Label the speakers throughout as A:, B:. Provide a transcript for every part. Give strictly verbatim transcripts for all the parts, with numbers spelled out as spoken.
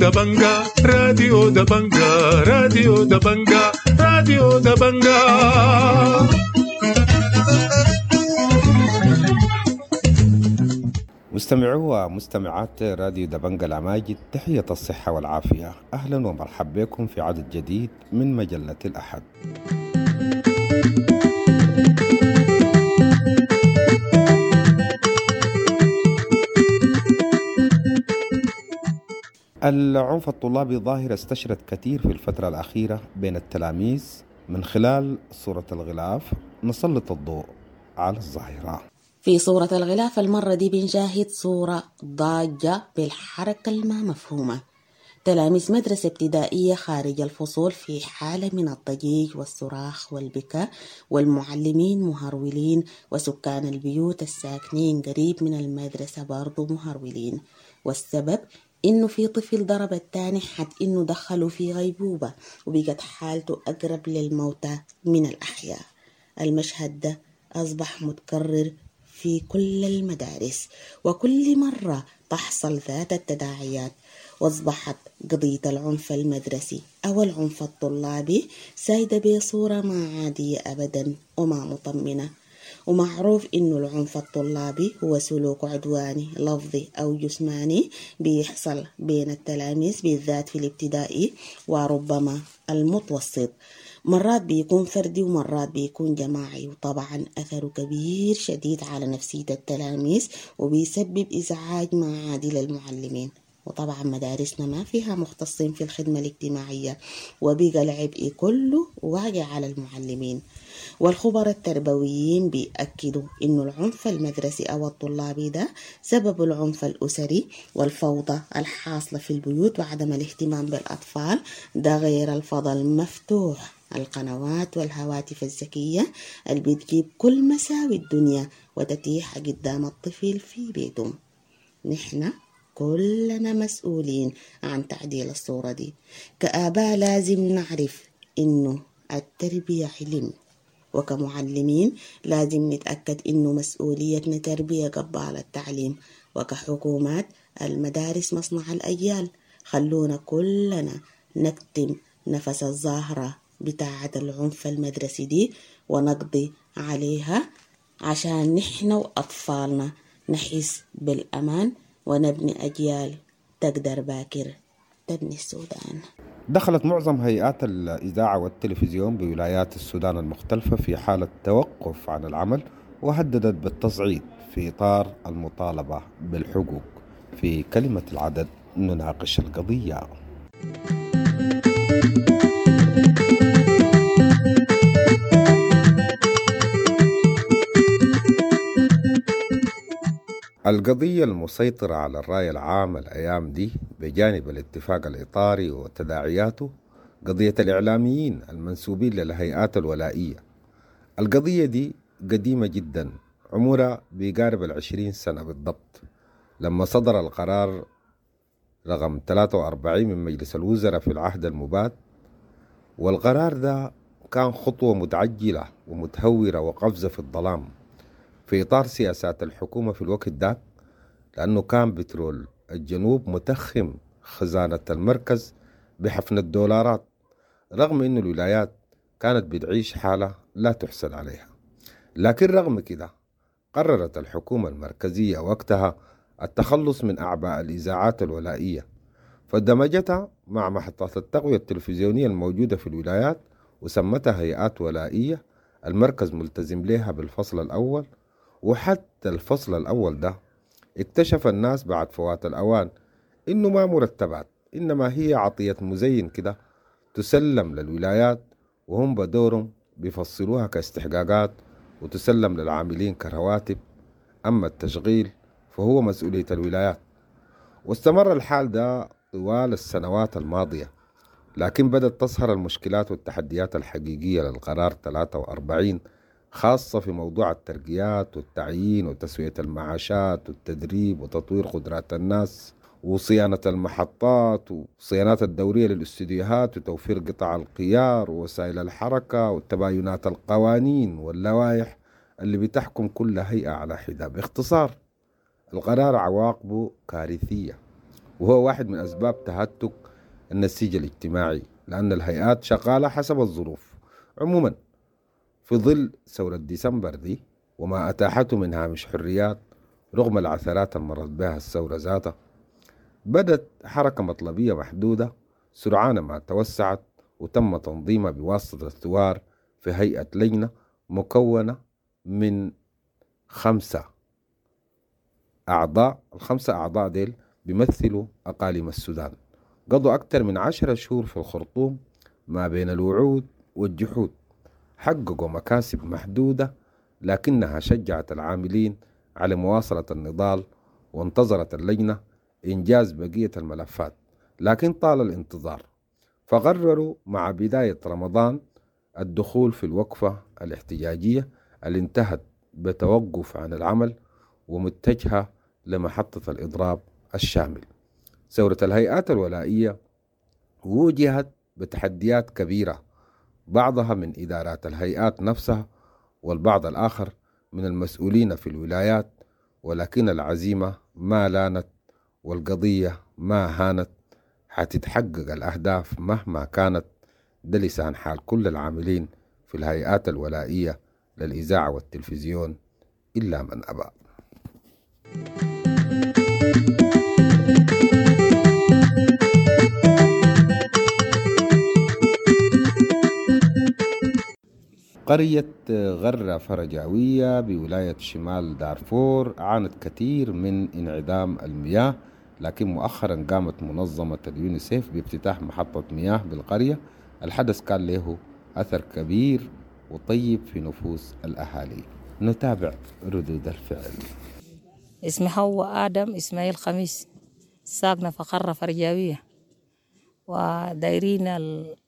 A: دبنجا، راديو دبنجا، راديو دبنجا، راديو دبنجا.
B: مستمعو ومستمعات راديو دبنجا الأماجد، تحية الصحة والعافية. أهلا ومرحبا بكم في عدد جديد من مجلة الأحد. العنف الطلابي ظاهرة استشرت كثير في الفترة الأخيرة بين التلاميذ. من خلال صورة الغلاف نسلط الضوء على الظاهرة.
C: في صورة الغلاف المرة دي بنشاهد صورة ضاجة بالحركة الما مفهومة. تلاميذ مدرسة ابتدائية خارج الفصول في حالة من الضجيج والصراخ والبكاء، والمعلمين مهرولين، وسكان البيوت الساكنين قريب من المدرسة برضو مهرولين. والسبب إنه في طفل ضرب التاني حد إنه دخلوا في غيبوبة وبقت حالته أقرب للموتى من الأحياء. المشهد ده أصبح متكرر في كل المدارس، وكل مرة تحصل ذات التداعيات. وأصبحت قضية العنف المدرسي أو العنف الطلابي سايدة بصورة ما عادية أبدا وما مطمنة. ومعروف إنه العنف الطلابي هو سلوك عدواني لفظي أو جسماني بيحصل بين التلاميذ بالذات في الابتدائي وربما المتوسط. مرات بيكون فردي ومرات بيكون جماعي، وطبعا أثره كبير شديد على نفسية التلاميذ وبيسبب إزعاج ما عادي للمعلمين. وطبعا مدارسنا ما فيها مختصين في الخدمة الاجتماعية، وبقى العبء كله واقع على المعلمين. والخبراء التربويين بيأكدوا إنه العنف المدرسي أو الطلابي ده سبب العنف الأسري والفوضى الحاصلة في البيوت وعدم الاهتمام بالأطفال، ده غير الفضل المفتوح، القنوات والهواتف الذكية اللي بتجيب كل مساوي الدنيا وتتيح قدام الطفل في بيته. نحن كلنا مسؤولين عن تعديل الصورة دي. كآباء لازم نعرف إنه التربية علم، وكمعلمين لازم نتأكد إنه مسؤوليتنا تربية قبل التعليم، وكحكومات المدارس مصنع الأجيال. خلونا كلنا نكتم نفس الظاهرة بتاعة العنف المدرسي دي ونقضي عليها، عشان نحن وأطفالنا نحس بالأمان ونبني أجيال تقدر باكر تبني السودان.
B: دخلت معظم هيئات الإذاعة والتلفزيون بولايات السودان المختلفة في حالة توقف عن العمل، وهددت بالتصعيد في إطار المطالبة بالحقوق. في كلمة العدد نناقش القضية. القضية المسيطرة على الرأي العام الأيام دي بجانب الاتفاق الإطاري وتداعياته قضية الإعلاميين المنسوبين للهيئات الولائية. القضية دي قديمة جدا، عمرها بيقارب العشرين سنة بالضبط، لما صدر القرار رقم ثلاثة وأربعين من مجلس الوزراء في العهد المباد. والقرار ده كان خطوة متعجلة ومتهورة وقفزة في الظلام في إطار سياسات الحكومة في الوقت ده، لأنه كان بترول الجنوب متخم خزانة المركز بحفن الدولارات، رغم أن الولايات كانت بتعيش حالة لا تحسد عليها. لكن رغم كده قررت الحكومة المركزية وقتها التخلص من أعباء الإذاعات الولائية، فدمجتها مع محطات التقوية التلفزيونية الموجودة في الولايات وسمتها هيئات ولائية المركز ملتزم لها بالفصل الأول. وحتى الفصل الأول ده اكتشف الناس بعد فوات الأوان إنه ما مرتبات، إنما هي عطية مزين كده تسلم للولايات، وهم بدورهم بيفصلوها كاستحقاقات وتسلم للعاملين كرواتب. أما التشغيل فهو مسؤولية الولايات. واستمر الحال ده طوال السنوات الماضية، لكن بدأت تظهر المشكلات والتحديات الحقيقية للقرار ثلاثة وأربعين، خاصة في موضوع الترقيات والتعيين وتسوية المعاشات والتدريب وتطوير قدرات الناس وصيانة المحطات وصيانات الدورية للاستديوهات وتوفير قطع القيار ووسائل الحركة وتباينات القوانين واللوائح اللي بتحكم كل هيئة على حدة. باختصار القرار عواقبه كارثية، وهو واحد من أسباب تهتك النسيج الاجتماعي، لأن الهيئات شغالة حسب الظروف. عموما في ظل ثورة ديسمبر دي وما أتاحته من هامش حريات رغم العثرات المرت بها الثورة ذاتها، بدت حركة مطلبية محدودة سرعان ما توسعت وتم تنظيمها بواسطة الثوار في هيئة لجنة مكونة من خمسة أعضاء. الخمسة أعضاء ديل بيمثلوا أقاليم السودان. قضوا أكثر من عشرة شهور في الخرطوم ما بين الوعود والجحود، حققوا مكاسب محدودة لكنها شجعت العاملين على مواصلة النضال، وانتظرت اللجنة إنجاز بقية الملفات، لكن طال الانتظار، فقرروا مع بداية رمضان الدخول في الوقفة الاحتجاجية اللي انتهت بتوقف عن العمل ومتجهة لمحطة الإضراب الشامل. ثورة الهيئات الولائية وجهت بتحديات كبيرة، بعضها من إدارات الهيئات نفسها والبعض الآخر من المسؤولين في الولايات، ولكن العزيمة ما لانت والقضية ما هانت، حتتحقق الأهداف مهما كانت. ده لسان حال كل العاملين في الهيئات الولائية للإذاعة والتلفزيون إلا من أبى. قرية غرة فرجاوية بولاية شمال دارفور عانت كثير من انعدام المياه، لكن مؤخرا قامت منظمة اليونيسيف بافتتاح محطة مياه بالقرية. الحدث كان له أثر كبير وطيب في نفوس الأهالي. نتابع ردود الفعل.
D: اسمي حواء آدم إسماعيل خميس، ساكنة في قرية فرجاوية، ودايرين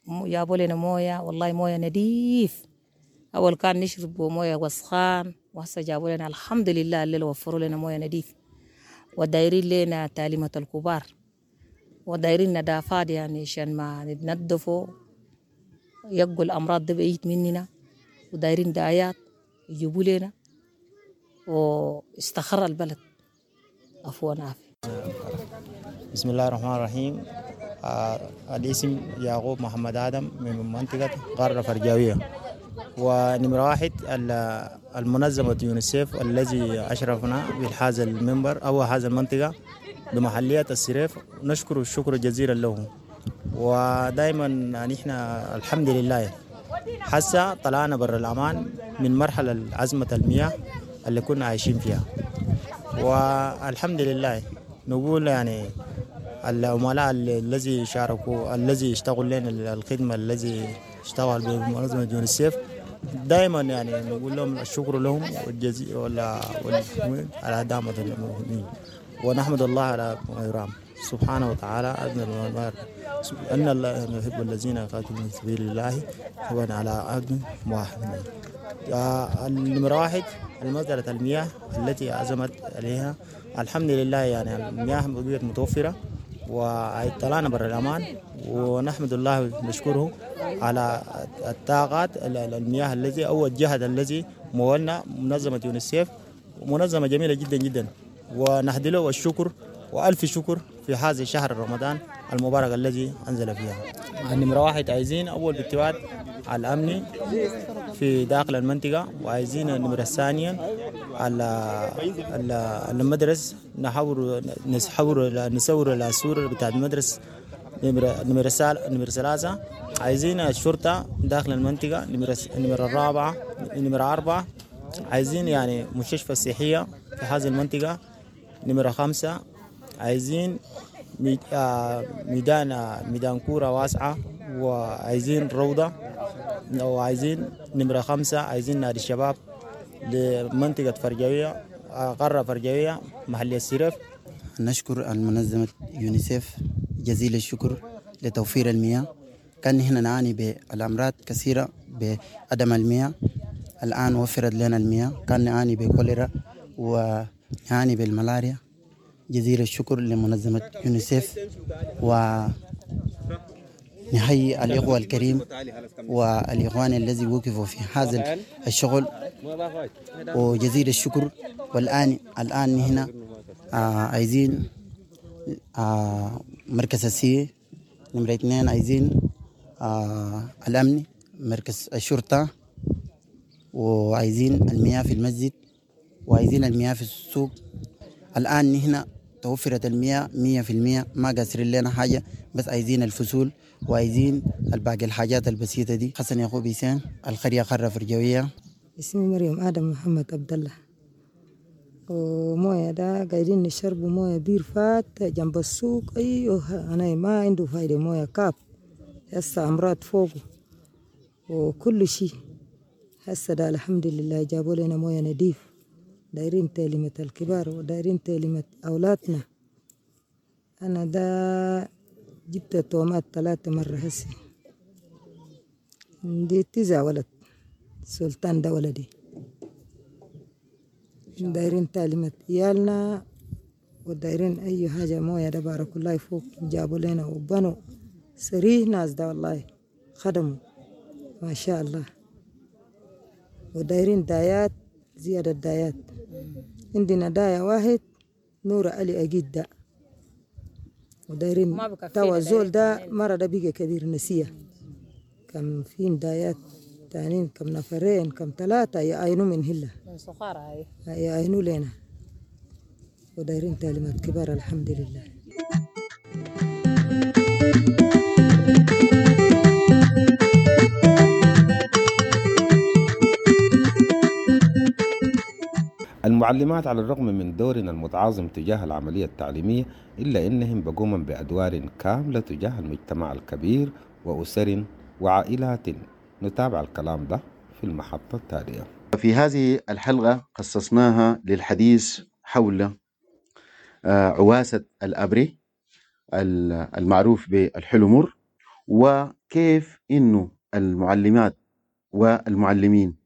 D: جابوا لنا موية، والله موية نظيف. أول كان نشرب موية وسخان، وهسه جابوا لنا الحمد لله اللي وفروا لنا موية نظيف. ودايرين لنا تعليمة الكبار، ودايرين نظافات يعني عشان ما نتنظفوا يبقوا الأمراض دي بعيد مننا، ودايرين دعايات يجيبوا لنا واستخر البلد. عفوا عافية.
E: بسم الله الرحمن الرحيم. آه الاسم يعقوب محمد آدم من منطقة قارة فرجاوية، ونمرة واحد المنظمة يونيسيف الذي أشرفنا بهذا المنبر أو هذا المنطقة بمحلية السريف، نشكر الشكر جزيلا له. ودائما نحن الحمد لله حسا طلعنا بر الأمان من مرحلة أزمة المياه اللي كنا عايشين فيها، والحمد لله نقول يعني العملاء الذي شاركوا الذي اشتغل لنا الخدمة الذي اشتغل بمنظمة يونيسيف دائما يعني نقول لهم الشكر لهم والجزيل ولا على دعم المؤمنين، ونحمد الله على ما يرام سبحانه وتعالى أن الله يحب الذين يقاتلون في سبيل الله طبعا على عبد واحد. النمرة واحد المسألة المياه التي أزمت عليها الحمد لله يعني المياه بقيت متوفرة وطلعنا بر الأمان، ونحمد الله ونشكره على الطاقات المياه الذي أو الجهد الذي مولنا منظمة يونيسيف، منظمة جميلة جدا جدا، ونهدي له الشكر وألف شكر في هذا الشهر رمضان المبارك الذي أنزل فيها. النمرة واحد عايزين أول باتباع على الأمن في داخل المنطقة، وعايزين النمرة الثانية على المدرسة نحاول نحاول نسور السور بتاع المدرسة. نمرة نمرة نمرة ثلاثة عايزين الشرطة داخل المنطقة. نمرة نمرة الرابعة نمرة أربعة عايزين يعني مستشفى صحية في هذه المنطقة. نمرة خمسة عايزين ميدان ميدان كورة واسعة، وعايزين روضة، وعايزين نمرة خمسة عايزين نادي الشباب لمنطقة فرجاوية قارة فرجاوية محلية السرف.
F: نشكر المنظمة يونيسيف جزيل الشكر لتوفير المياه. كان هنا نعاني بالأمراض كثيرة بعدم المياه، الآن وفرت لنا المياه. كان نعاني بكوليرا ونعاني بالملاريا. جزيل الشكر لمنظمة يونيسيف، ونحيي الإخوة الكريم والإخوان الذي وقفوا في هذا الشغل، وجزيل الشكر. والآن الآن هنا عايزين آه مركز السي. نمرة اثنين عايزين آه الأمن، مركز الشرطة، وعايزين المياه في المسجد، وعايزين المياه في السوق. الآن نحن توفرت المياه مية في المية، ما قاصرين لنا حاجة، بس عايزين الفصول وعايزين الباقي الحاجات البسيطة دي. حسن يعقوب حسين، القرية قرة فرجوية.
G: اسمي مريم آدم محمد عبد الله. وموية ده قاعدين نشرب موية بير فات جنب السوق. أيوه أنا ما عنده فايدة، موية كاب هسه أمراض فوقه وكل شيء. هسه ده الحمد لله جابوا لنا موية نضيف. دايرين تعليمة الكبار ودايرين تعليمة أولادنا. أنا ده جبت تومات ثلاثة مرة هسه، عندي تسع ولد، سلطان ده ولدي. دايرين تعليمة عيالنا ودايرين أي حاجة. موية ده بارك الله فوق جابوا لنا وبنوا سريه ناس ده والله خدموا ما شاء الله. ودايرين دايات، زيادة دايات. عندنا داية واحد نور علي أجيد ده، ودايرين
D: ما بكفينا،
G: توا الزول ده
D: دايرين
G: مرة ده بقى كبير نسيه. كم فين دايات تانين، كم نفرين، كم ثلاثة يعينوا من هلا،
D: من صخارة هاي
G: يعينوا لنا. ودايرين تعليمات كبار الحمد لله.
B: المعلمات على الرغم من دورنا المتعاظم تجاه العملية التعليمية، إلا أنهم بقومن بأدوار كاملة تجاه المجتمع الكبير وأسر وعائلات. نتابع الكلام ده في المحطة التالية.
H: في هذه الحلقة خصصناها للحديث حول آه، عواسة الأبري ال- المعروف بالحلمر، وكيف إنه المعلمات والمعلمين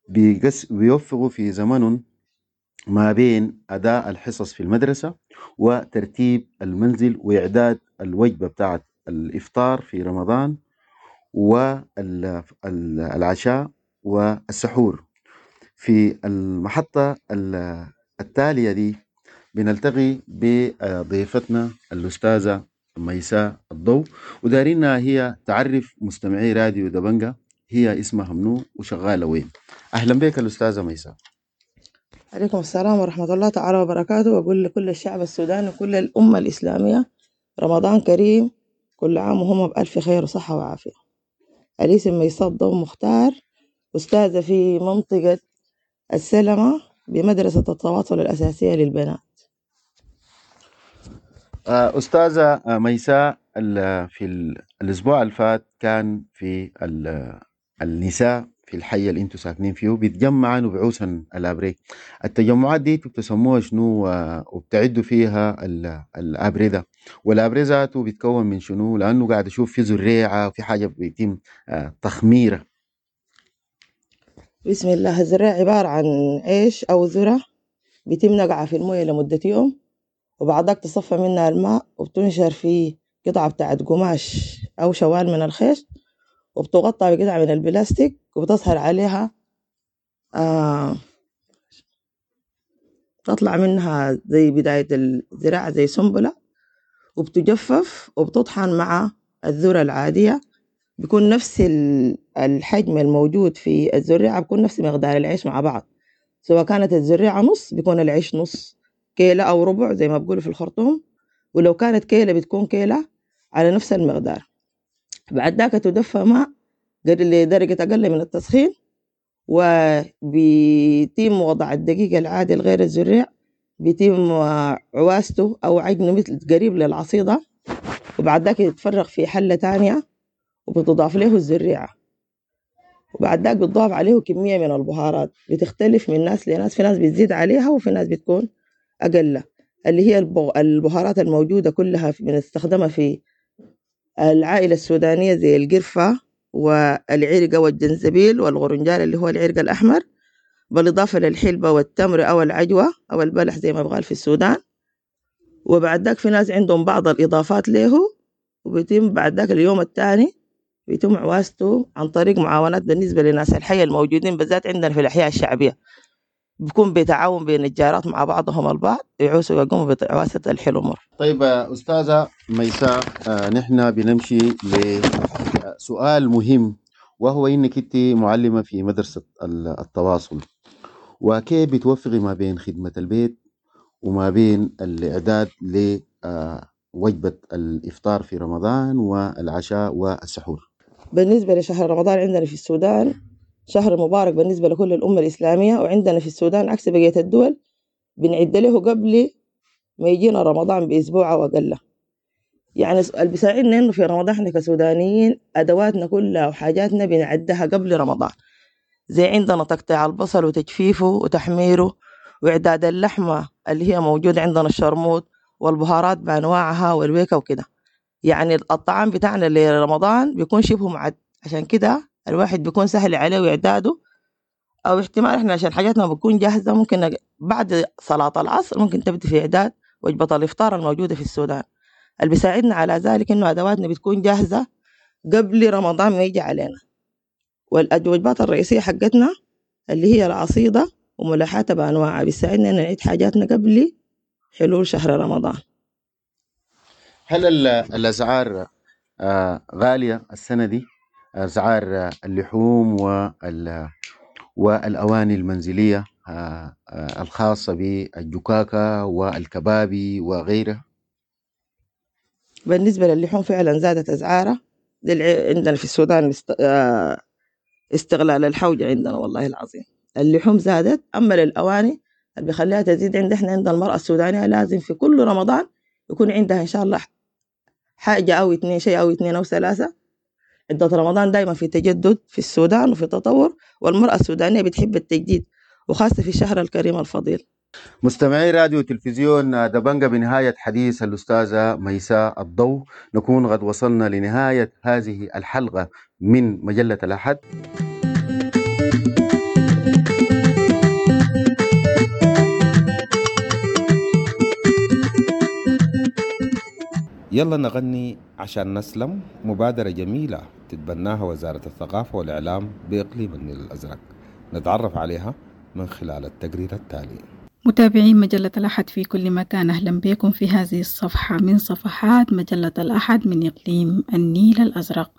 H: بيقس- بيوفقوا في زمنهم ما بين أداء الحصص في المدرسة وترتيب المنزل وإعداد الوجبة بتاعت الإفطار في رمضان والعشاء والسحور. في المحطة ال- التالية دي بنلتقي بضيفتنا الأستاذة ميساء الضو، ودارينا هي تعرف مستمعي راديو دبنجة هي اسمها منو وشغالة وين. أهلا بك الأستاذة ميساء.
I: عليكم السلام ورحمة الله تعالى وبركاته. وأقول لكل الشعب السوداني وكل الأمة الإسلامية رمضان كريم، كل عام وهم بألف خير وصحة وعافية. الاسم ميساء الضو مختار، أستاذة في منطقة السلمة بمدرسة التواصل الأساسية للبنات.
H: آه، أستاذة آه، ميساء، ال- في ال- الأسبوع الفات كان في ال- النساء في الحي اللي انتم ساكنين فيه بيتجمعن وبيعوسن الابري. التجمعات دي انتوا بتسموها شنو آه، وبتعدوا فيها ال- الابري ده؟ والابري ذاته بيتكون من شنو؟ لانه قاعد اشوف في زريعه وفي حاجه بيتم آه، تخميره.
I: بسم الله. الزراعة عبارة عن عيش أو ذرة بيتم نقعها في الموية لمدة يوم، وبعدك تصفى منها الماء وبتنشر في قطعة بتاعت قماش أو شوال من الخيش، وبتغطى بقطعة من البلاستيك، وبتظهر عليها آه تطلع منها زي بداية الزراعة زي سنبلة، وبتجفف وبتطحن مع الذرة العادية. بيكون نفس ال- الحجم الموجود في الزريعة، بيكون نفس مقدار العيش مع بعض، سواء كانت الزريعة نص بيكون العيش نص كيلة أو ربع زي ما بيقولوا في الخرطوم، ولو كانت كيلة بتكون كيلة على نفس المقدار. بعد ذاك تدفى ماء لدرجة أقل من التسخين، وبيتم وضع الدقيق العادي الغير الزريع، بيتم عواسته أو عجنه مثل قريب للعصيدة، وبعد ذاك يتفرغ في حلة تانية وبتضاف له الزريعة، وبعد ذاك بتضاف عليه كمية من البهارات بتختلف من ناس لناس، في ناس بتزيد عليها وفي ناس بتكون أقل، اللي هي البهارات الموجودة كلها بنستخدمها في العائلة السودانية زي القرفة والعرقة والجنزبيل والغرنجال اللي هو العرق الأحمر، بالإضافة للحلبة والتمر أو العجوة أو البلح زي ما بقال في السودان. وبعد ذاك في ناس عندهم بعض الإضافات له، وبيتم بعد ذاك اليوم الثاني بيتم عواسته عن طريق معاونات بالنسبة لناس الحي الموجودين بالذات عندنا في الأحياء الشعبية. بيكون بتعاون بين الجارات مع بعضهم البعض، يعوسوا ويقوموا بعواسة الحلو مر.
H: طيب أستاذة ميساء، آه، نحن بنمشي لسؤال مهم، وهو إنك أنت معلمة في مدرسة التواصل، وكيف بتوفقي ما بين خدمة البيت وما بين الإعداد لوجبة الإفطار في رمضان والعشاء والسحور؟
I: بالنسبة لشهر رمضان عندنا في السودان شهر مبارك بالنسبة لكل الأمة الإسلامية، وعندنا في السودان عكس بقية الدول بنعد له قبل ما يجينا رمضان بأسبوع أو أقل. يعني اللي بيساعدنا إنه في رمضان إحنا كسودانيين أدواتنا كلها وحاجاتنا بنعدها قبل رمضان، زي عندنا تقطيع البصل وتجفيفه وتحميره وإعداد اللحمة اللي هي موجودة عندنا الشرموط والبهارات بأنواعها والويكة وكده. يعني الطعام بتاعنا لرمضان بيكون شبه معد، عشان كده الواحد بيكون سهل عليه إعداده، أو احتمال إحنا عشان حاجاتنا بتكون جاهزة ممكن بعد صلاة العصر ممكن تبدي في إعداد وجبة الإفطار الموجودة في السودان. اللي بيساعدنا على ذلك إنه أدواتنا بتكون جاهزة قبل رمضان ما يجي علينا. والوجبات الرئيسية حقتنا اللي هي العصيدة وملاحاتها بأنواعها بيساعدنا إن نعيد حاجاتنا قبل حلول شهر رمضان.
H: هل الأسعار غالية السنة دي؟ أسعار اللحوم وال والأواني المنزلية الخاصة بالجكاكة والكبابي وغيرها؟
I: بالنسبة للحوم فعلا زادت أسعارها. عندنا في السودان استغلال الحوجة عندنا والله العظيم، اللحوم زادت. أما للأواني اللي بيخليها تزيد عندنا احنا عند المرأة السودانية لازم في كل رمضان يكون عندها إن شاء الله حاجة أو اثنين، شيء أو اثنين أو ثلاثة. عدة رمضان دايما في تجدد في السودان وفي تطور، والمرأة السودانية بتحب التجديد وخاصة في الشهر الكريم الفضيل.
H: مستمعي راديو تلفزيون دبنجة، بنهاية حديث الأستاذة ميساء الضو نكون قد وصلنا لنهاية هذه الحلقة من مجلة الأحد.
B: يلا نغني عشان نسلم، مبادرة جميلة تتبناها وزارة الثقافة والإعلام بإقليم النيل الأزرق، نتعرف عليها من خلال التقرير التالي.
J: متابعين مجلة الأحد في كل مكان، أهلا بكم في هذه الصفحة من صفحات مجلة الأحد من إقليم النيل الأزرق.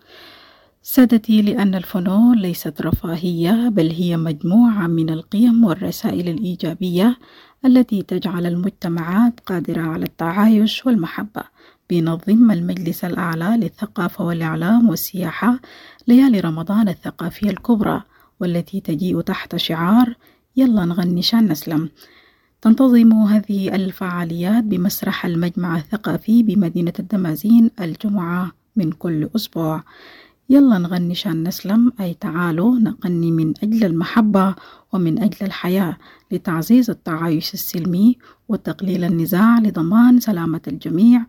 J: سادتي، لأن الفنون ليست رفاهية بل هي مجموعة من القيم والرسائل الإيجابية التي تجعل المجتمعات قادرة على التعايش والمحبة. بينظم المجلس الأعلى للثقافة والإعلام والسياحة ليالي رمضان الثقافية الكبرى، والتي تجيء تحت شعار يلا نغني شان نسلم. تنتظم هذه الفعاليات بمسرح المجمع الثقافي بمدينة الدمازين الجمعة من كل أسبوع. يلا نغني شان نسلم، أي تعالوا نغني من أجل المحبة ومن أجل الحياة، لتعزيز التعايش السلمي وتقليل النزاع لضمان سلامة الجميع،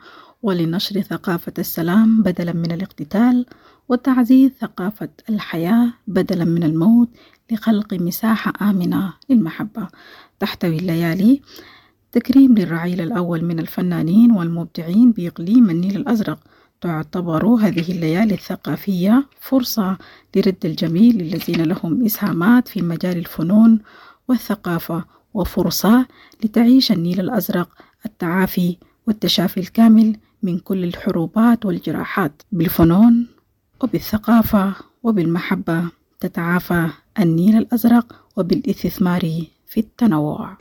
J: ولنشر ثقافة السلام بدلا من الاقتتال، وتعزيز ثقافة الحياة بدلا من الموت، لخلق مساحة آمنة للمحبة. تحتوي الليالي تكريم للرعيل الأول من الفنانين والمبدعين بإقليم النيل الأزرق. تعتبر هذه الليالي الثقافية فرصة لرد الجميل للذين لهم إسهامات في مجال الفنون والثقافة، وفرصة لتعيش النيل الأزرق التعافي والتشافي الكامل من كل الحروبات والجراحات. بالفنون وبالثقافة وبالمحبة تتعافى النيل الأزرق، وبالاستثمار في التنوع.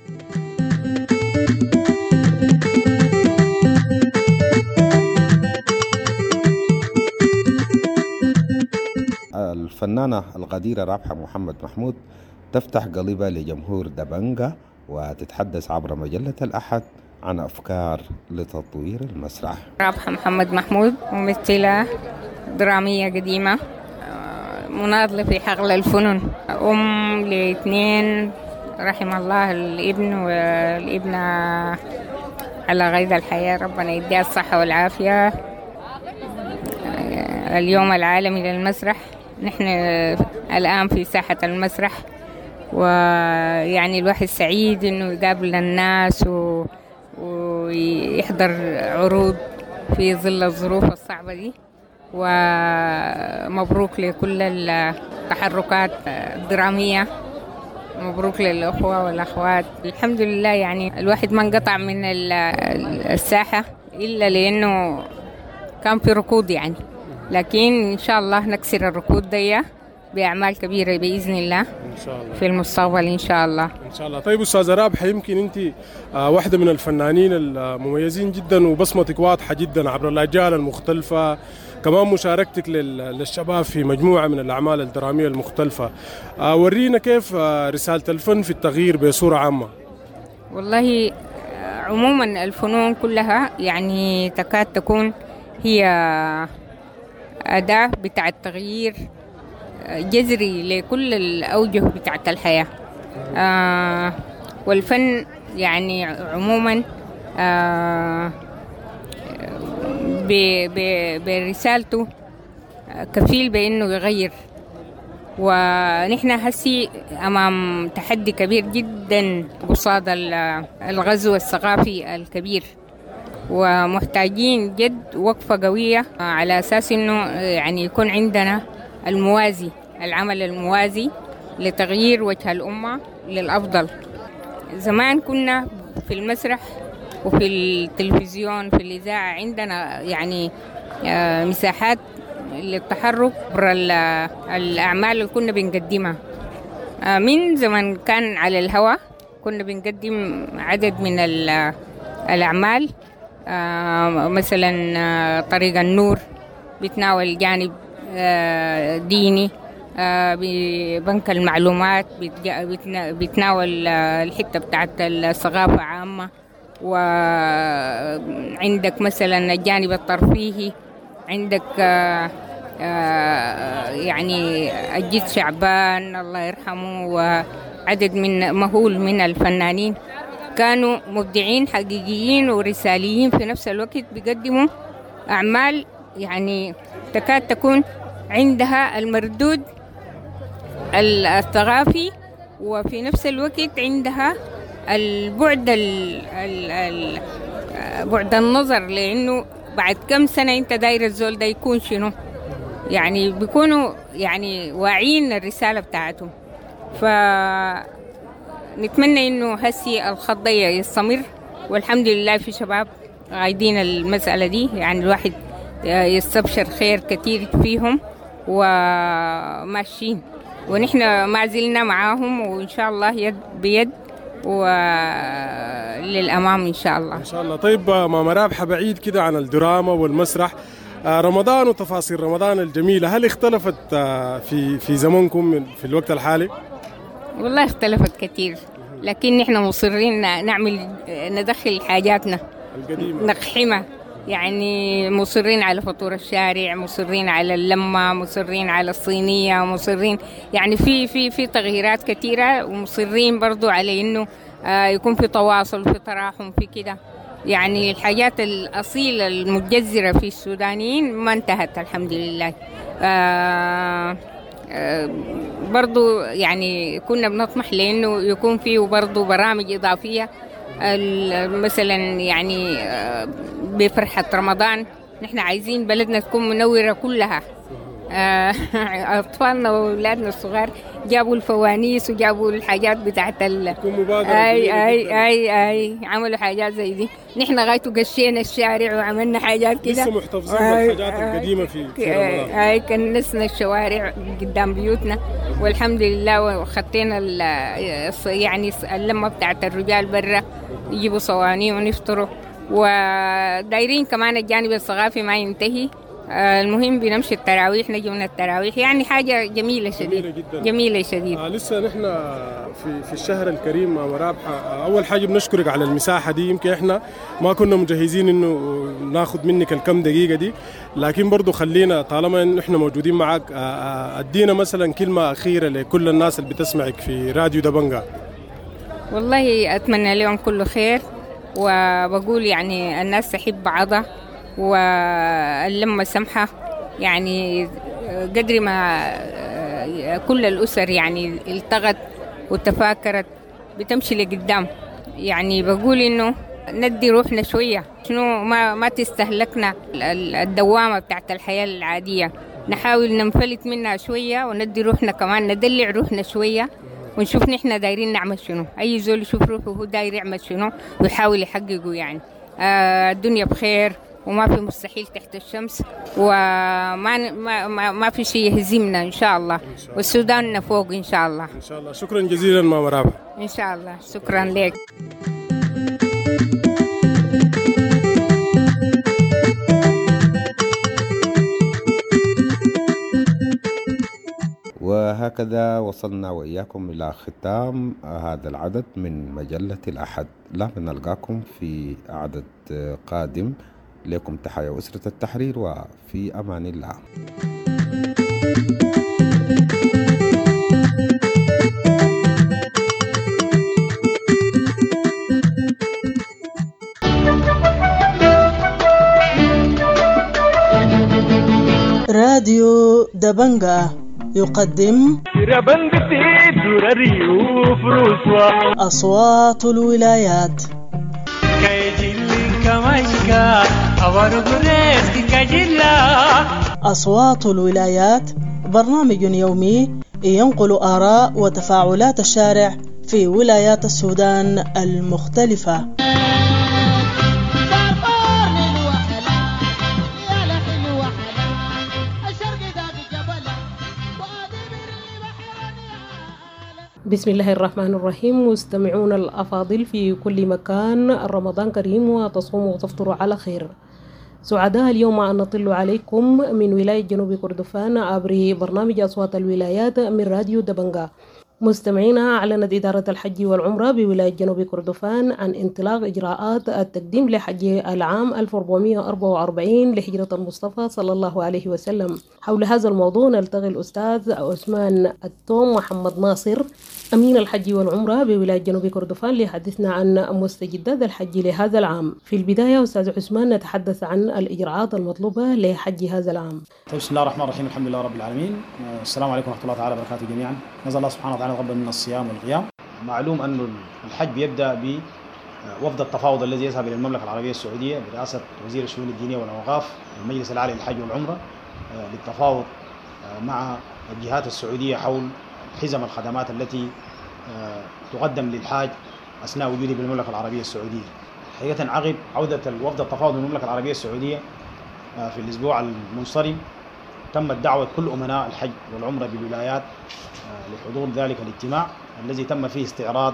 B: الفنانة القديرة رابحة محمد محمود تفتح قلبها لجمهور دبنجة وتتحدث عبر مجلة الأحد عن أفكار لتطوير المسرح.
K: رابحة محمد محمود، ممثلة درامية قديمة، مناضلة في حقل الفنون، أم لاثنين رحم الله الابن والابنة على غيظ الحياة، ربنا يديها الصحة والعافية. اليوم العالمي للمسرح، نحن الآن في ساحة المسرح، ويعني الواحد سعيد إنه يقابل الناس و... ويحضر عروض في ظل الظروف الصعبة دي. ومبروك لكل التحركات الدرامية مبروك للأخوة والأخوات. الحمد لله، يعني الواحد ما انقطع من الساحة إلا لأنه كان في ركود يعني، لكن إن شاء الله نكسر الركود دي بأعمال كبيرة بإذن الله
L: إن شاء الله
K: في المستقبل إن شاء الله.
L: إن شاء الله. طيب أستاذة رابحة، يمكن أنت واحدة من الفنانين المميزين جدا وبصمتك واضحة جدا عبر الأجيال المختلفة، كمان مشاركتك للشباب في مجموعة من الأعمال الدرامية المختلفة. ورينا كيف رسالة الفن في التغيير بصورة عامة.
K: والله عموما الفنون كلها يعني تكاد تكون هي أداة بتاع التغيير جذري لكل الأوجه بتاعة الحياة. آه والفن يعني عموما آه برسالته كفيل بأنه يغير، ونحن هسي أمام تحدي كبير جدا قصاد الغزو الثقافي الكبير، ومحتاجين جد وقفة قوية على أساس أنه يعني يكون عندنا الموازي، العمل الموازي لتغيير وجه الأمة للأفضل. زمان كنا في المسرح وفي التلفزيون في الإذاعة عندنا يعني مساحات للتحرك عبر الأعمال اللي كنا بنقدمها. من زمان كان على الهواء كنا بنقدم عدد من الأعمال، مثلا طريق النور بتناول جانب ديني، ببنك المعلومات بتناول الحتة بتاعت الثقافة عامة، وعندك مثلا الجانب الترفيهي، عندك يعني الجد شعبان الله يرحمه وعدد من مهول من الفنانين كانوا مبدعين حقيقيين ورساليين في نفس الوقت، بيقدموا أعمال يعني تكاد تكون عندها المردود الثقافي، وفي نفس الوقت عندها البعد ال ال بعد النظر، لأنه بعد كم سنة أنت داير الزول ده يكون شنو، يعني بيكونوا يعني واعيين الرسالة بتاعتهم. فنتمنى إنه هسي الخط ده يستمر، والحمد لله في شباب غايدين المسألة دي، يعني الواحد يستبشر خير كتير فيهم وماشيين، ونحن ما زلنا معاهم، وإن شاء الله يد بيد وللأمام إن شاء الله.
L: إن شاء الله. طيب ماما رابحة، بعيد كده عن الدراما والمسرح، رمضان وتفاصيل رمضان الجميلة، هل اختلفت في في زمنكم في الوقت الحالي؟
K: والله اختلفت كثير، لكن نحن مصرين نعمل ندخل حاجاتنا
L: القديمة
K: نقحمها، يعني مصرين على فطور الشارع، مصرين على اللمة، مصرين على الصينية، مصرين يعني في في في تغييرات كثيرة، ومصرين برضو على إنه يكون في تواصل، في تراحم، في كده، يعني الحاجات الأصيلة المتجذرة في السودانيين ما انتهت الحمد لله. آه آه برضو يعني كنا بنطمح لأنه يكون فيه برضو برامج إضافية، مثلا يعني بفرحة رمضان نحن عايزين بلدنا تكون منورة كلها. أطفالنا وأولادنا الصغار جابوا الفوانيس وجابوا الحاجات بتاعت ال... أي أي أي أي عملوا حاجات زي دي، نحن غايته قشينا الشارع وعملنا حاجات كده،
L: لسه محتفظين بالحاجات القديمة في في رمضان.
K: أي كنسنا الشوارع قدام بيوتنا والحمد لله، وخطينا ال... يعني اللمة بتاعت الرجال برا يجيبوا صواني ونفطروا، ودايرين كمان الجانب الثقافي ما ينتهي. المهم بنمشي التراويح، نجي من التراويح، يعني حاجة جميلة شديد،
L: جميلة جدا،
K: جميلة شديد.
L: آه لسه نحن في في الشهر الكريم ماما رابحة، أول حاجة بنشكرك على المساحة دي، يمكن إحنا ما كنا مجهزين إنه ناخد منك الكم دقيقة دي، لكن برضو خلينا طالما إن إحنا موجودين معك، أدينا مثلا كلمة أخيرة لكل الناس اللي بتسمعك في راديو دبنجا.
K: والله أتمنى لهم كل خير، وبقول يعني الناس تحب بعضها واللمة سمحة، يعني قدر ما كل الأسر يعني التغت وتفاكرت بتمشي لقدام. يعني بقول إنه ندي روحنا شوية، شنو ما ما تستهلكنا الدوامة بتاعت الحياة العادية، نحاول ننفلت منها شوية وندي روحنا كمان، ندلع روحنا شوية، ونشوف نحن دايرين نعمل شنو. أي زول يشوف روحه هو داير يعمل شنو ويحاول يحققه يعني. آه الدنيا بخير وما في مستحيل تحت الشمس، وما ما ما, ما في شيء يهزمنا إن شاء الله، والسودان فوق إن شاء الله.
L: إن شاء الله. شكرا جزيلا ماما رابحة.
K: إن شاء الله، شكرا لك.
B: وهكذا وصلنا وإياكم إلى ختام هذا العدد من مجلة الأحد. لا نلقاكم في عدد قادم. لكم تحية أسرة التحرير، وفي أمان الله.
M: راديو دبنجة يقدم أصوات الولايات. أصوات الولايات برنامج يومي ينقل آراء وتفاعلات الشارع في ولايات السودان المختلفة.
N: بسم الله الرحمن الرحيم. مستمعون الأفاضل في كل مكان، رمضان كريم وتصوموا وتفطروا على خير. سعداء اليوم أن نطل عليكم من ولاية جنوب كردفان عبر برنامج أصوات الولايات من راديو دبنجا. مستمعينا، أعلنت إدارة الحج والعمرة بولاية جنوب كردفان عن انطلاق إجراءات التقديم لحج العام ألف وأربعمائة وأربعة وأربعين لهجرة المصطفى صلى الله عليه وسلم. حول هذا الموضوع نلتقي الأستاذ عثمان التوم محمد ناصر أمين الحج والعمرة بولاية جنوب كردفان ليحدثنا عن مستجدات الحج لهذا العام. في البداية أستاذ عثمان، نتحدث عن الإجراءات المطلوبة لحج هذا العام.
O: طيب، بسم الله الرحمن الرحيم، الحمد لله رب العالمين، السلام عليكم ورحمة الله تعالى وبركاته جميعا. نسأل الله سبحانه وتعالى يتقبل منا الصيام والقيام. معلوم أن الحج بيبدأ بوفد التفاوض الذي يذهب إلى المملكة العربية السعودية برئاسة وزير الشؤون الدينية والأوقاف المجلس الأعلى للحج والعمرة للتفاوض مع الجهات السعودية حول حزم الخدمات التي تقدم للحاج أثناء وجوده بالمملكة العربية السعودية. حقيقة عقب عودة الوفد التفاوض من المملكة العربية السعودية في الأسبوع المنصرم تمت دعوة كل أمناء الحج والعمرة بالولايات لحضور ذلك الاجتماع الذي تم فيه استعراض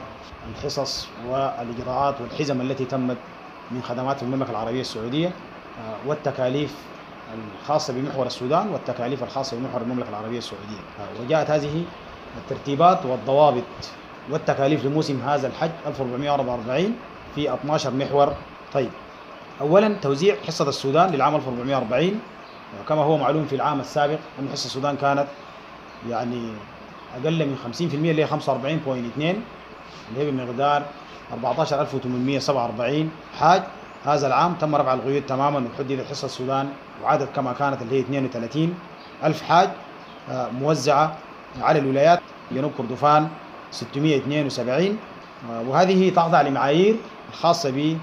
O: الحصص والإجراءات والحزم التي تمت من خدمات المملكة العربية السعودية والتكاليف الخاصة بمحور السودان والتكاليف الخاصة بمحور المملكة العربية السعودية. وجاءت هذه الترتيبات والضوابط والتكاليف لموسم هذا الحج ألف وأربعمائة وأربعة وأربعين في اثني عشر محور. طيب، أولا توزيع حصة السودان للعام ألف وأربعمائة وأربعين. كما هو معلوم في العام السابق أن حصة السودان كانت يعني أقل من خمسين بالمئة اللي هي خمسة وأربعين فاصلة اثنين اللي هي بمقدار أربعة عشر ألف وثمانمائة وسبعة وأربعين حاج. هذا العام تم رفع القيود تماما وحددت حصة السودان وعادت كما كانت اللي هي اثنين وثلاثين ألف حاج موزعة على الولايات. جنوب كردفان ستمائة واثنين وسبعين، وهذه تخضع لمعايير الخاصة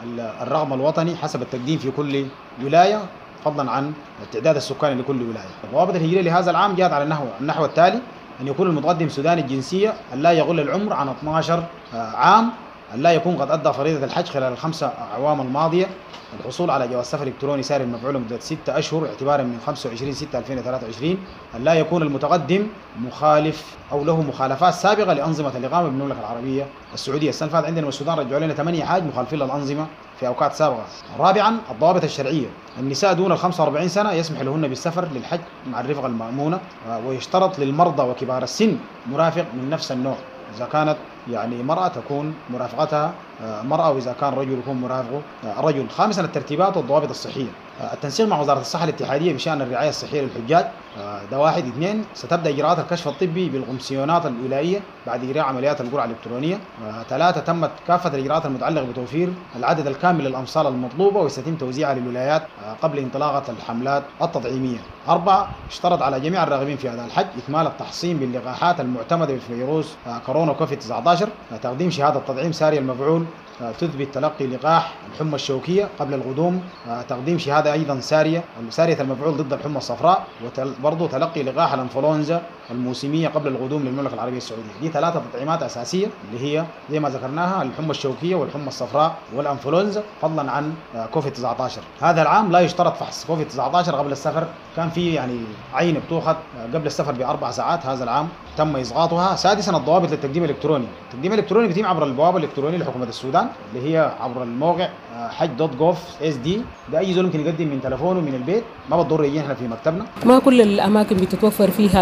O: بالرقم الوطني حسب التقديم في كل ولاية فضلا عن التعداد السكاني لكل ولاية. الضوابط الهجرية لهذا العام جاءت على النحو النحو التالي: أن يكون المتقدم سوداني الجنسية، أن لا يغل العمر عن اثني عشر عام، أن لا يكون قد أدى فريضة الحج خلال الخمسة أعوام الماضية، الحصول على جواز سفر إلكتروني ساري المفعول لمدة ستة أشهر اعتبارا من خمسة وعشرين ستة ألفين وثلاثة وعشرين، أن لا يكون المتقدم مخالف أو له مخالفات سابقة لأنظمة الإقامة بالمملكة العربية السعودية. السنة اللي فاتت عندنا السودان رجعوا لنا ثمانية حاج مخالفين للأنظمة في أوقات سابقة. رابعا الضوابط الشرعية: النساء دون ال خمسة وأربعين سنة يسمح لهن بالسفر للحج مع الرفقة المأمونة، ويشترط للمرضى وكبار السن مرافق من نفس النوع. إذا كانت يعني مرأة تكون مرافقتها مرأة، وإذا كان رجل يكون مرافقه رجل. خامسا الترتيبات والضوابط الصحية: التنسيق مع وزارة الصحة الاتحادية بشأن الرعاية الصحية للحجاج، ده واحد. اثنين، ستبدأ إجراءات الكشف الطبي بالقمسيونات الولائية بعد إجراء عمليات القرعة الإلكترونية. ثلاثة، تمت كافة الإجراءات المتعلقة بتوفير العدد الكامل للأمصال المطلوبة وسيتم توزيعها للولايات قبل انطلاقة الحملات التطعيمية. أربعة، اشترط على جميع الراغبين في أداء الحج إكمال التحصين باللقاحات المعتمدة بفيروس كورونا كوفيد تسعة عشر، تقديم شهادة تطعيم ساري المفعول تثبت تلقي لقاح الحمى الشوكية قبل القدوم، تقديم شهادة أيضا سارية سارية المفعول ضد الحمى الصفراء، وبرضه تلقي لقاح الانفلونزا الموسمية قبل القدوم للمملكة العربية السعودية. دي ثلاثة تطعيمات أساسية اللي هي زي ما ذكرناها الحمى الشوكية والحمى الصفراء والانفلونزا، فضلا عن كوفيد تسعة عشر. هذا العام لا يشترط فحص كوفيد تسعة عشر قبل السفر، كان في يعني عينة بتؤخذ قبل السفر بأربع ساعات، هذا العام تم إسقاطها. سادسا الضوابط للتقديم الإلكتروني. التقديم الإلكتروني بيتم عبر البوابة الإلكترونية لحكومة السودان اللي هي عبر الموقع حج dot gov SD. ده أي زول ممكن يقدم من تلفونه من البيت، ما بتضر يجي احنا في مكتبنا.
N: ما كل الأماكن بتتوفر فيها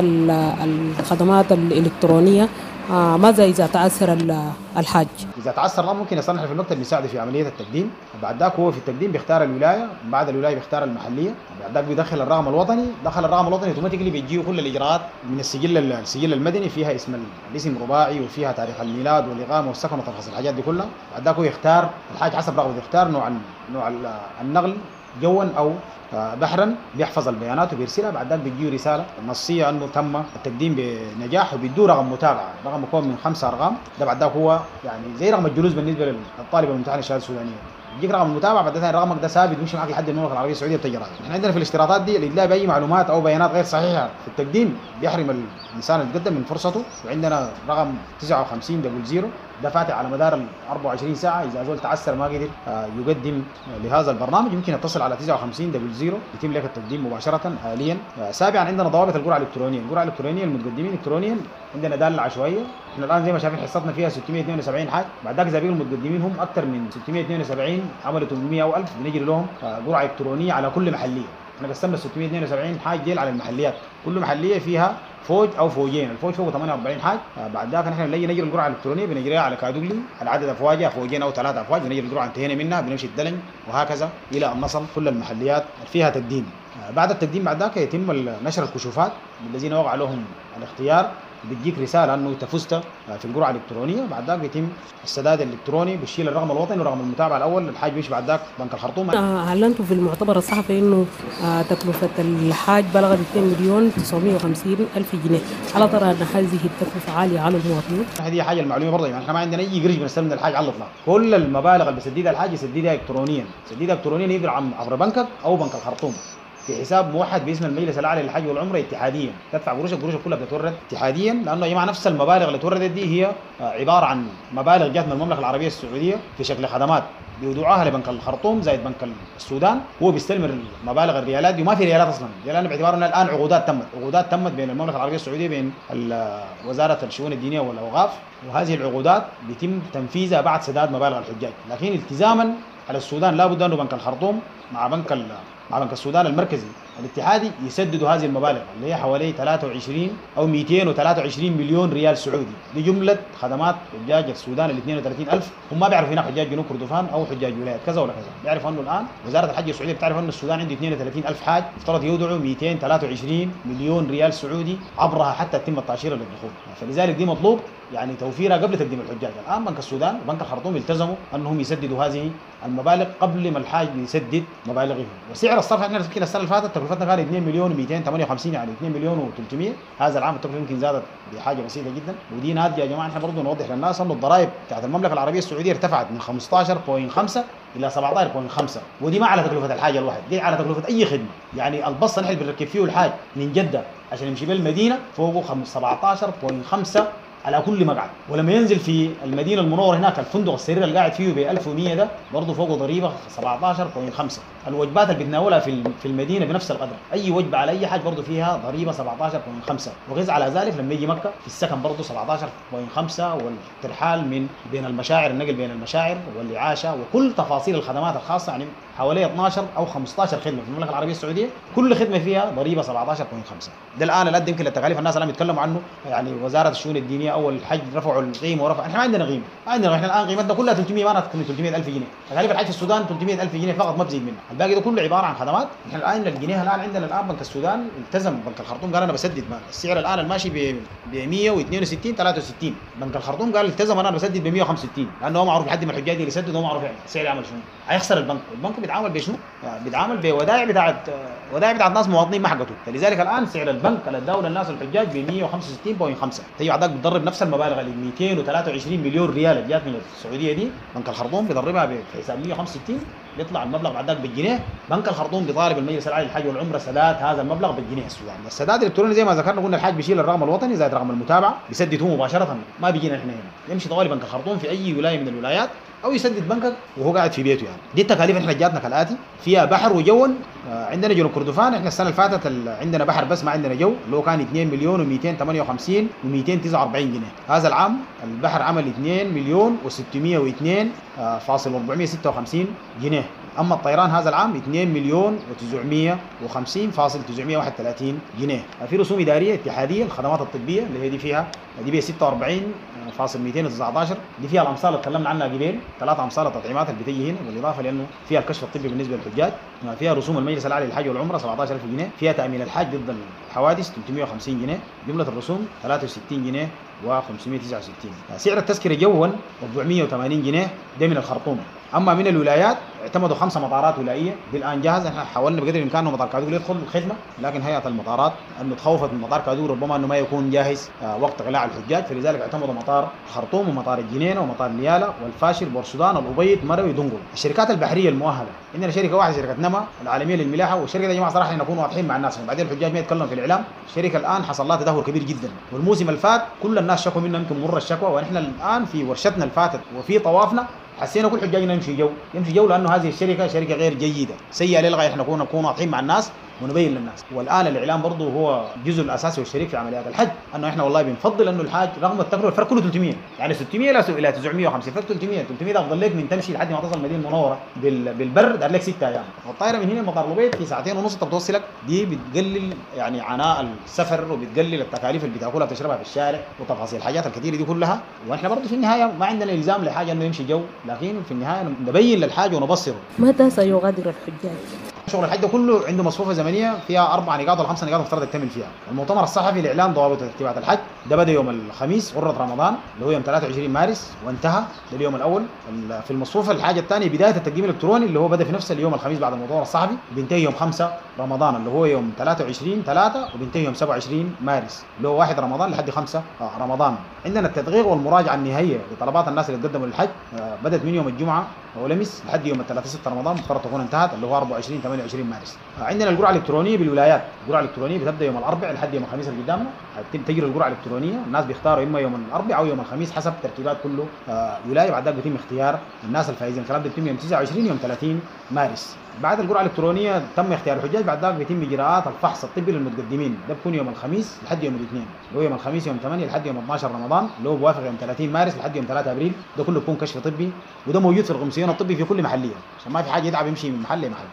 N: الخدمات الإلكترونية، آه ماذا إذا تعثر الحاج؟
O: إذا تعثر الأمر ممكن يصلح في المكتب بيساعده في عملية التقديم. بعد ذاك هو في التقديم بيختار الولاية، بعد الولاية بيختار المحلية، بعد ذاك بيدخل الرقم الوطني، دخل الرقم الوطني automatically بيجيه كل الإجراءات من السجل السجل المدني، فيها اسم الاسم رباعي وفيها تاريخ الميلاد والإقامة والسكن وتفاصيل الحاجات دي كلها. بعد ذاك هو يختار الحاج حسب رغبته، يختار نوع نوع النقل جوا أو بحرا، بيحفظ البيانات وبيرسلها. بعد ذلك بيجيه رسالة نصية انه تم التقديم بنجاح، وبيدوه رقم متابعه، رقم مكون من خمسة ارقام. ده بعد ذاك هو يعني زي رقم الجلوس بالنسبة للطالب الممتحن الشهادة السودانية، يجيك رقم المتابعة، بعد ذلك رقمك ده ثابت بيمشي معك لحد المملكة العربية السعودية بتجي راجع. احنا عندنا في الاشتراطات دي الادلاء باي معلومات او بيانات غير صحيحه في التقديم بيحرم الانسان اللي يتقدم من فرصته. وعندنا رقم تسعة وخمسين double zero ده فاتح على مدار ال أربعة وعشرين ساعة، اذا زول تعسر ما قدر يقدم لهذا البرنامج يمكن يتصل على تسعة وخمسين double zero يتم لك التقديم مباشرة حاليا. سابعا عندنا ضوابط القرعة الالكترونية. القرعة الالكترونية المتقدمين الكترونيا عندنا داله عشوائية، احنا الان زي ما شايفين حصتنا فيها ستمية واثنين وسبعين حاج، بعد ذاك اذا بيجوا المتقدمين هم اكثر من ستمية واثنين وسبعين عملوا ثمانمية او ألف، بنجري لهم قرعه الكترونية على كل محليه. احنا قسمنا ستمية واثنين وسبعين حاج ديل على المحليات، كل محليه فيها فوج او فوجين، الفوج فوق ثمانية وأربعين حاج. بعد ذاك نحن بنجي نجري القرعة الالكترونية بنجريها على كادوغلي على عدد افواجها، فوجين او ثلاثة افواج، بنجري القرعة انتهينا منها بنمشي الدلنج وهكذا الى ان نصل كل المحليات فيها تقديم. بعد التقديم بعد ذاك يتم نشر الكشوفات للذين وقع لهم الاختيار، بتجيك رسالة انه انت فزت في القرعة الالكترونية. بعد ذاك بيتم السداد الالكتروني، بيشيل الرقم الوطني ورقم المتابعة الاول، الحاج بيمشي بعد ذاك بنك الخرطوم.
N: اعلنتوا في المؤتمر الصحفي انه تكلفة الحاج بلغت اثنين مليون تسعمية وخمسين الف جنيه، الا ترى ان هذه التكلفة عالية على المواطنين؟
O: هذه حاجة المعلومة برضه، يعني احنا ما عندنا اي قرش بنستلم من الحاج على الاطلاق، كل المبالغ اللي بيسددها الحاج يسددها الكترونيا، يسددها الكترونيا يقدر عبر بنكك او بنك الخرطوم في حساب موحد باسم المجلس الاعلى للحج والعمرة اتحاديا، تدفع قروشك قروشك كلها بتتورد اتحاديا، لانه يا جماعة نفس المبالغ اللي توردت دي هي عبارة عن مبالغ جات من المملكة العربية السعودية في شكل خدمات بيودعوها لبنك الخرطوم زائد بنك السودان، هو بيستلم المبالغ الريالات دي وما في ريالات اصلا، لان باعتبار ان الان عقودات تمت، عقودات تمت بين المملكة العربية السعودية بين وزارة الشؤون الدينية والاوقاف، وهذه العقودات بيتم تنفيذها بعد سداد مبالغ الحجاج، لكن التزاما على السودان لابد انه بنك الخرطوم مع بنك مع بنك السودان المركزي الاتحادي يسددوا هذه المبالغ اللي هي حوالي ثلاثة وعشرين او مئتين وثلاثة وعشرين مليون ريال سعودي لجملة خدمات حجاج السودان ال اثنين وثلاثين ألف. هم ما بيعرفوا هناك حجاج جنوب كردفان او حجاج ولايات كذا ولا كذا، بيعرفوا انه الان وزارة الحج السعودية بتعرف انه السودان عنده اثنين وثلاثين ألف حاج، يفترض يودعوا مئتين وثلاثة وعشرين مليون ريال سعودي عبرها حتى تتم التاشيره للدخول، فلذلك دي مطلوب يعني توفيرها قبل تقديم الحجاج. الان بنك السودان وبنك الخرطوم التزموا انهم يسددوا هذه المبالغ قبل ما الحاج يسدد مبالغه. وسعر الصرف احنا يمكن السنة اللي فاتت تكلفتنا كانت اثنين مليون ومئتين وثمانية وخمسين، يعني اثنين مليون وثلاثمية، هذا العام التكلفة يمكن زادت بحاجة بسيطة جدا. ودي ناتجة يا جماعة احنا برضه نوضح للناس انه الضرائب بتاعت المملكة العربية السعودية ارتفعت من خمسة عشر فاصلة خمسة الى سبعة عشر فاصلة خمسة، ودي ما على تكلفة الحاجة الواحد، دي على تكلفة اي خدمة. يعني البص نحن بنركب فيه الحاج من جده عشان يمشي بالمدينة فوقه سبعة عشر فاصلة خمسة على كل مقعد، ولما ينزل في المدينة المنورة هناك الفندق السرير اللي قاعد فيه ب ألف ومية ده برضه فوقه ضريبة سبعة عشر فاصلة خمسة. الوجبات اللي بتناولها في في المدينة بنفس القدر، اي وجبة على اي حاجة برضه فيها ضريبة سبعة عشر فاصلة خمسة، وغير على ذلك لما يجي مكة في السكن برضه سبعة عشر فاصلة خمسة، والترحال من بين المشاعر، النقل بين المشاعر والاعاشه وكل تفاصيل الخدمات الخاصة، يعني حوالي اثناشر او خمسة عشر خدمة في المملكة العربية السعودية كل خدمة فيها ضريبة سبعة عشر فاصلة خمسة. ده الان اللي يمكن للتكاليف الناس الان بيتكلموا عنه، يعني وزارة الشؤون الدينية اول الحج رفعوا القيمة ورفع، احنا ما عندنا قيمة، ما عندنا، احنا الان قيمتنا كلها ثلاثمية، ما ثلاثمية ألف جنيه، تكاليف الحج في السودان ثلاثمية ألف جنيه فقط ما بزيد منها، الباقي ده كله عبارة عن خدمات. احنا الان الجنيه الان عندنا الان بنك السودان التزم، بنك الخرطوم قال انا بسدد السعر الان الماشي ب مية واثنين وستين ثلاثة وستين، بنك الخرطوم قال التزم انا بسدد ب مية وخمسة وستين، لانه هو معروف لحد ما الحجاج اللي يسدد هو معروف يعني السعر يعمل شنو، هيخسر البنك، البنك بيتعامل بشنو؟ بيتعامل بودائع بتاعت ودائع بتاعت ناس مواطنين ما حقته. فلذلك الان سعر البنك اللي اداه للناس الحجاج ب مية وخمسة وستين فاصلة خمسة. تيجي بعدك بتضرب نفس المبالغ اللي مئتين وثلاثة وعشرين مليون ريال اللي جات من السعودية دي، بنك الخرطوم بيضربها بحساب مية وخمسة وستين بيطلع المبلغ بعد ذاك بالجنيه. بنك الخرطوم بيطالب المجلس الاعلى للحج والعمرة سداد هذا المبلغ بالجنيه السوداني. السداد الالكتروني زي ما ذكرنا قلنا الحاج بيشيل الرقم الوطني زائد رقم المتابعة بيسدد هو مباشرة، ما بيجينا احنا هنا، يمشي طوالي بنك الخرطوم في اي ولاية من الولايات او يسدد بنكك وهو قاعد في بيته. يعني دي التكاليف احنا جاتنا كالاتي، فيها بحر وجو. عندنا جنوب كردفان احنا السنة اللي فاتت عندنا بحر بس ما عندنا جو، اللي هو كان اثنين مليون ومئتين وثمانية وخمسين ومئتين وتسعة وأربعين جنيه. هذا العام البحر عمل اثنين مليون وستمية واثنين فاصل أربعمية وستة وخمسين جنيه. اما الطيران هذا العام اثنين مليون وتسعمية وخمسين فاصل تسعمية وواحد وثلاثين جنيه. في رسوم ادارية اتحادية الخدمات الطبية اللي هي دي فيها دي بي ستة وأربعين فاصل مئتين وتسعة عشر، دي فيها الامصال اللي تكلمنا عنها قبل، ثلاث امصال التطعيمات اللي بتيجي هنا، بالاضافة لانه فيها الكشف الطبي بالنسبة للحجاج، فيها رسوم المجلس الاعلى للحج والعمرة سبعة عشر ألف جنيه، فيها تامين الحاج ضد الحوادث ثلاثمية وخمسين جنيه، جملة الرسوم ثلاثة وستين جنيه وخمسمية وتسعة وستين. سعر التذكرة جوا أربعمية وثمانين جنيه ده من الخرطوم. اما من الولايات اعتمدوا خمسة مطارات ولائيه دي الان جاهزة. احنا حاولنا بقدر الامكان انه مطار كادوغلي يدخل الخدمة، لكن هيئة المطارات انه تخوفت من مطار كادوغلي ربما انه ما يكون جاهز وقت اقلاع الحجاج، فلذلك اعتمدوا مطار الخرطوم ومطار الجنينة ومطار نيالا والفاشر بورسودان الابيض مروي دنقل. الشركات البحرية المؤهله عندنا شركة واحدة، شركة نما العالمية للملاحه، والشركة دي يا جماعة صراحة نكون واضحين مع الناس عشان بعدين الحجاج ما يتكلم في الاعلام. الشركة الان حصل لها تدهور كبير جدا، والموسم الفات كل الناس شكوا منها يمكن مر الشكوى، ونحن الان في ورشتنا الفاتت وفي طوافنا حسينا كل حجاجنا يمشي جو يمشي جو لانه هذه الشركة شركة غير جيدة سيئه للغاية. احنا نكون نكون واضحين مع الناس ونبين للناس. والان الاعلام برضه هو الجزء الاساسي والشريك في عمليات الحج، انه احنا والله بنفضل انه الحاج رغم التكلفة الفرق كله ثلاثمية، يعني ستمية الى تسعمية وخمسين، فرق ثلاثمية ثلاثمية ده افضل لك من تمشي لحد ما تصل المدينة المنورة بالبر دار لك ستة ايام، والطائرة من هنا مطار البيت في ساعتين ونص انت بتوصلك. دي بتقلل يعني عناء السفر وبتقلل التكاليف اللي بتاكلها بتشربها في الشارع وتفاصيل الحاجات الكثيرة دي كلها. واحنا برضه في النهاية ما عندنا الزام لحاجة انه يمشي جو، لكن في النهاية نبين للحاج ونبصره.
N: متى سيغادر الحجاج؟
O: شغل الحج ده كله عنده مصفوفة زمنية فيها اربع نقاط ولا خمس نقاط مفترض يكتمل فيها. المؤتمر الصحفي لاعلان ضوابط وترتيبات الحج ده بدا يوم الخميس غره رمضان اللي هو يوم ثلاثة وعشرين مارس وانتهى لليوم الاول. في المصفوفه الحاجة الثانية بداية التقديم الالكتروني اللي هو بدا في نفس اليوم الخميس بعد المؤتمر الصحفي، بينتهي يوم خمسة رمضان اللي هو يوم ثلاثة وعشرين ثلاثة وبينتهي يوم سبعة وعشرين مارس اللي هو واحد رمضان لحد خمسة رمضان. عندنا التدقيق والمراجعه النهائية لطلبات الناس اللي تقدموا للحج بدات من يوم الجمعة ولمس لحد يوم ثلاثة ستة رمضان مفترض تكون انتهت اللي هو أربعة وعشرين ثمانية وعشرين مارس. عندنا القرعة الالكترونية بالولايات، القرعة الالكترونية بتبدا يوم الاربعاء لحد يوم الخميس اللي قدامنا، تجري القرعة الالكترونية، الناس بيختاروا اما يوم الاربعاء او يوم الخميس حسب ترتيبات كله ولاية، بعد ذلك بيتم اختيار الناس الفائزين. الكلام ده بيتم يوم تسعة وعشرين يوم ثلاثين مارس. بعد القرعة الالكترونية تم اختيار الحجاج، بعد ذلك بيتم اجراءات الفحص الطبي للمتقدمين، ده بيكون يوم الخميس لحد يوم الاثنين، اللي هو يوم الخميس يوم ثمانية لحد يوم اثنا عشر رمضان اللي هو بوافق يوم ثلاثين مارس لحد يوم ثلاثة ابريل، ده كله بيكون كشف طبي، وده موجود في القمصيون الطبي في كل محليه عشان ما في حاجة يتعب يمشي من محل لمحل.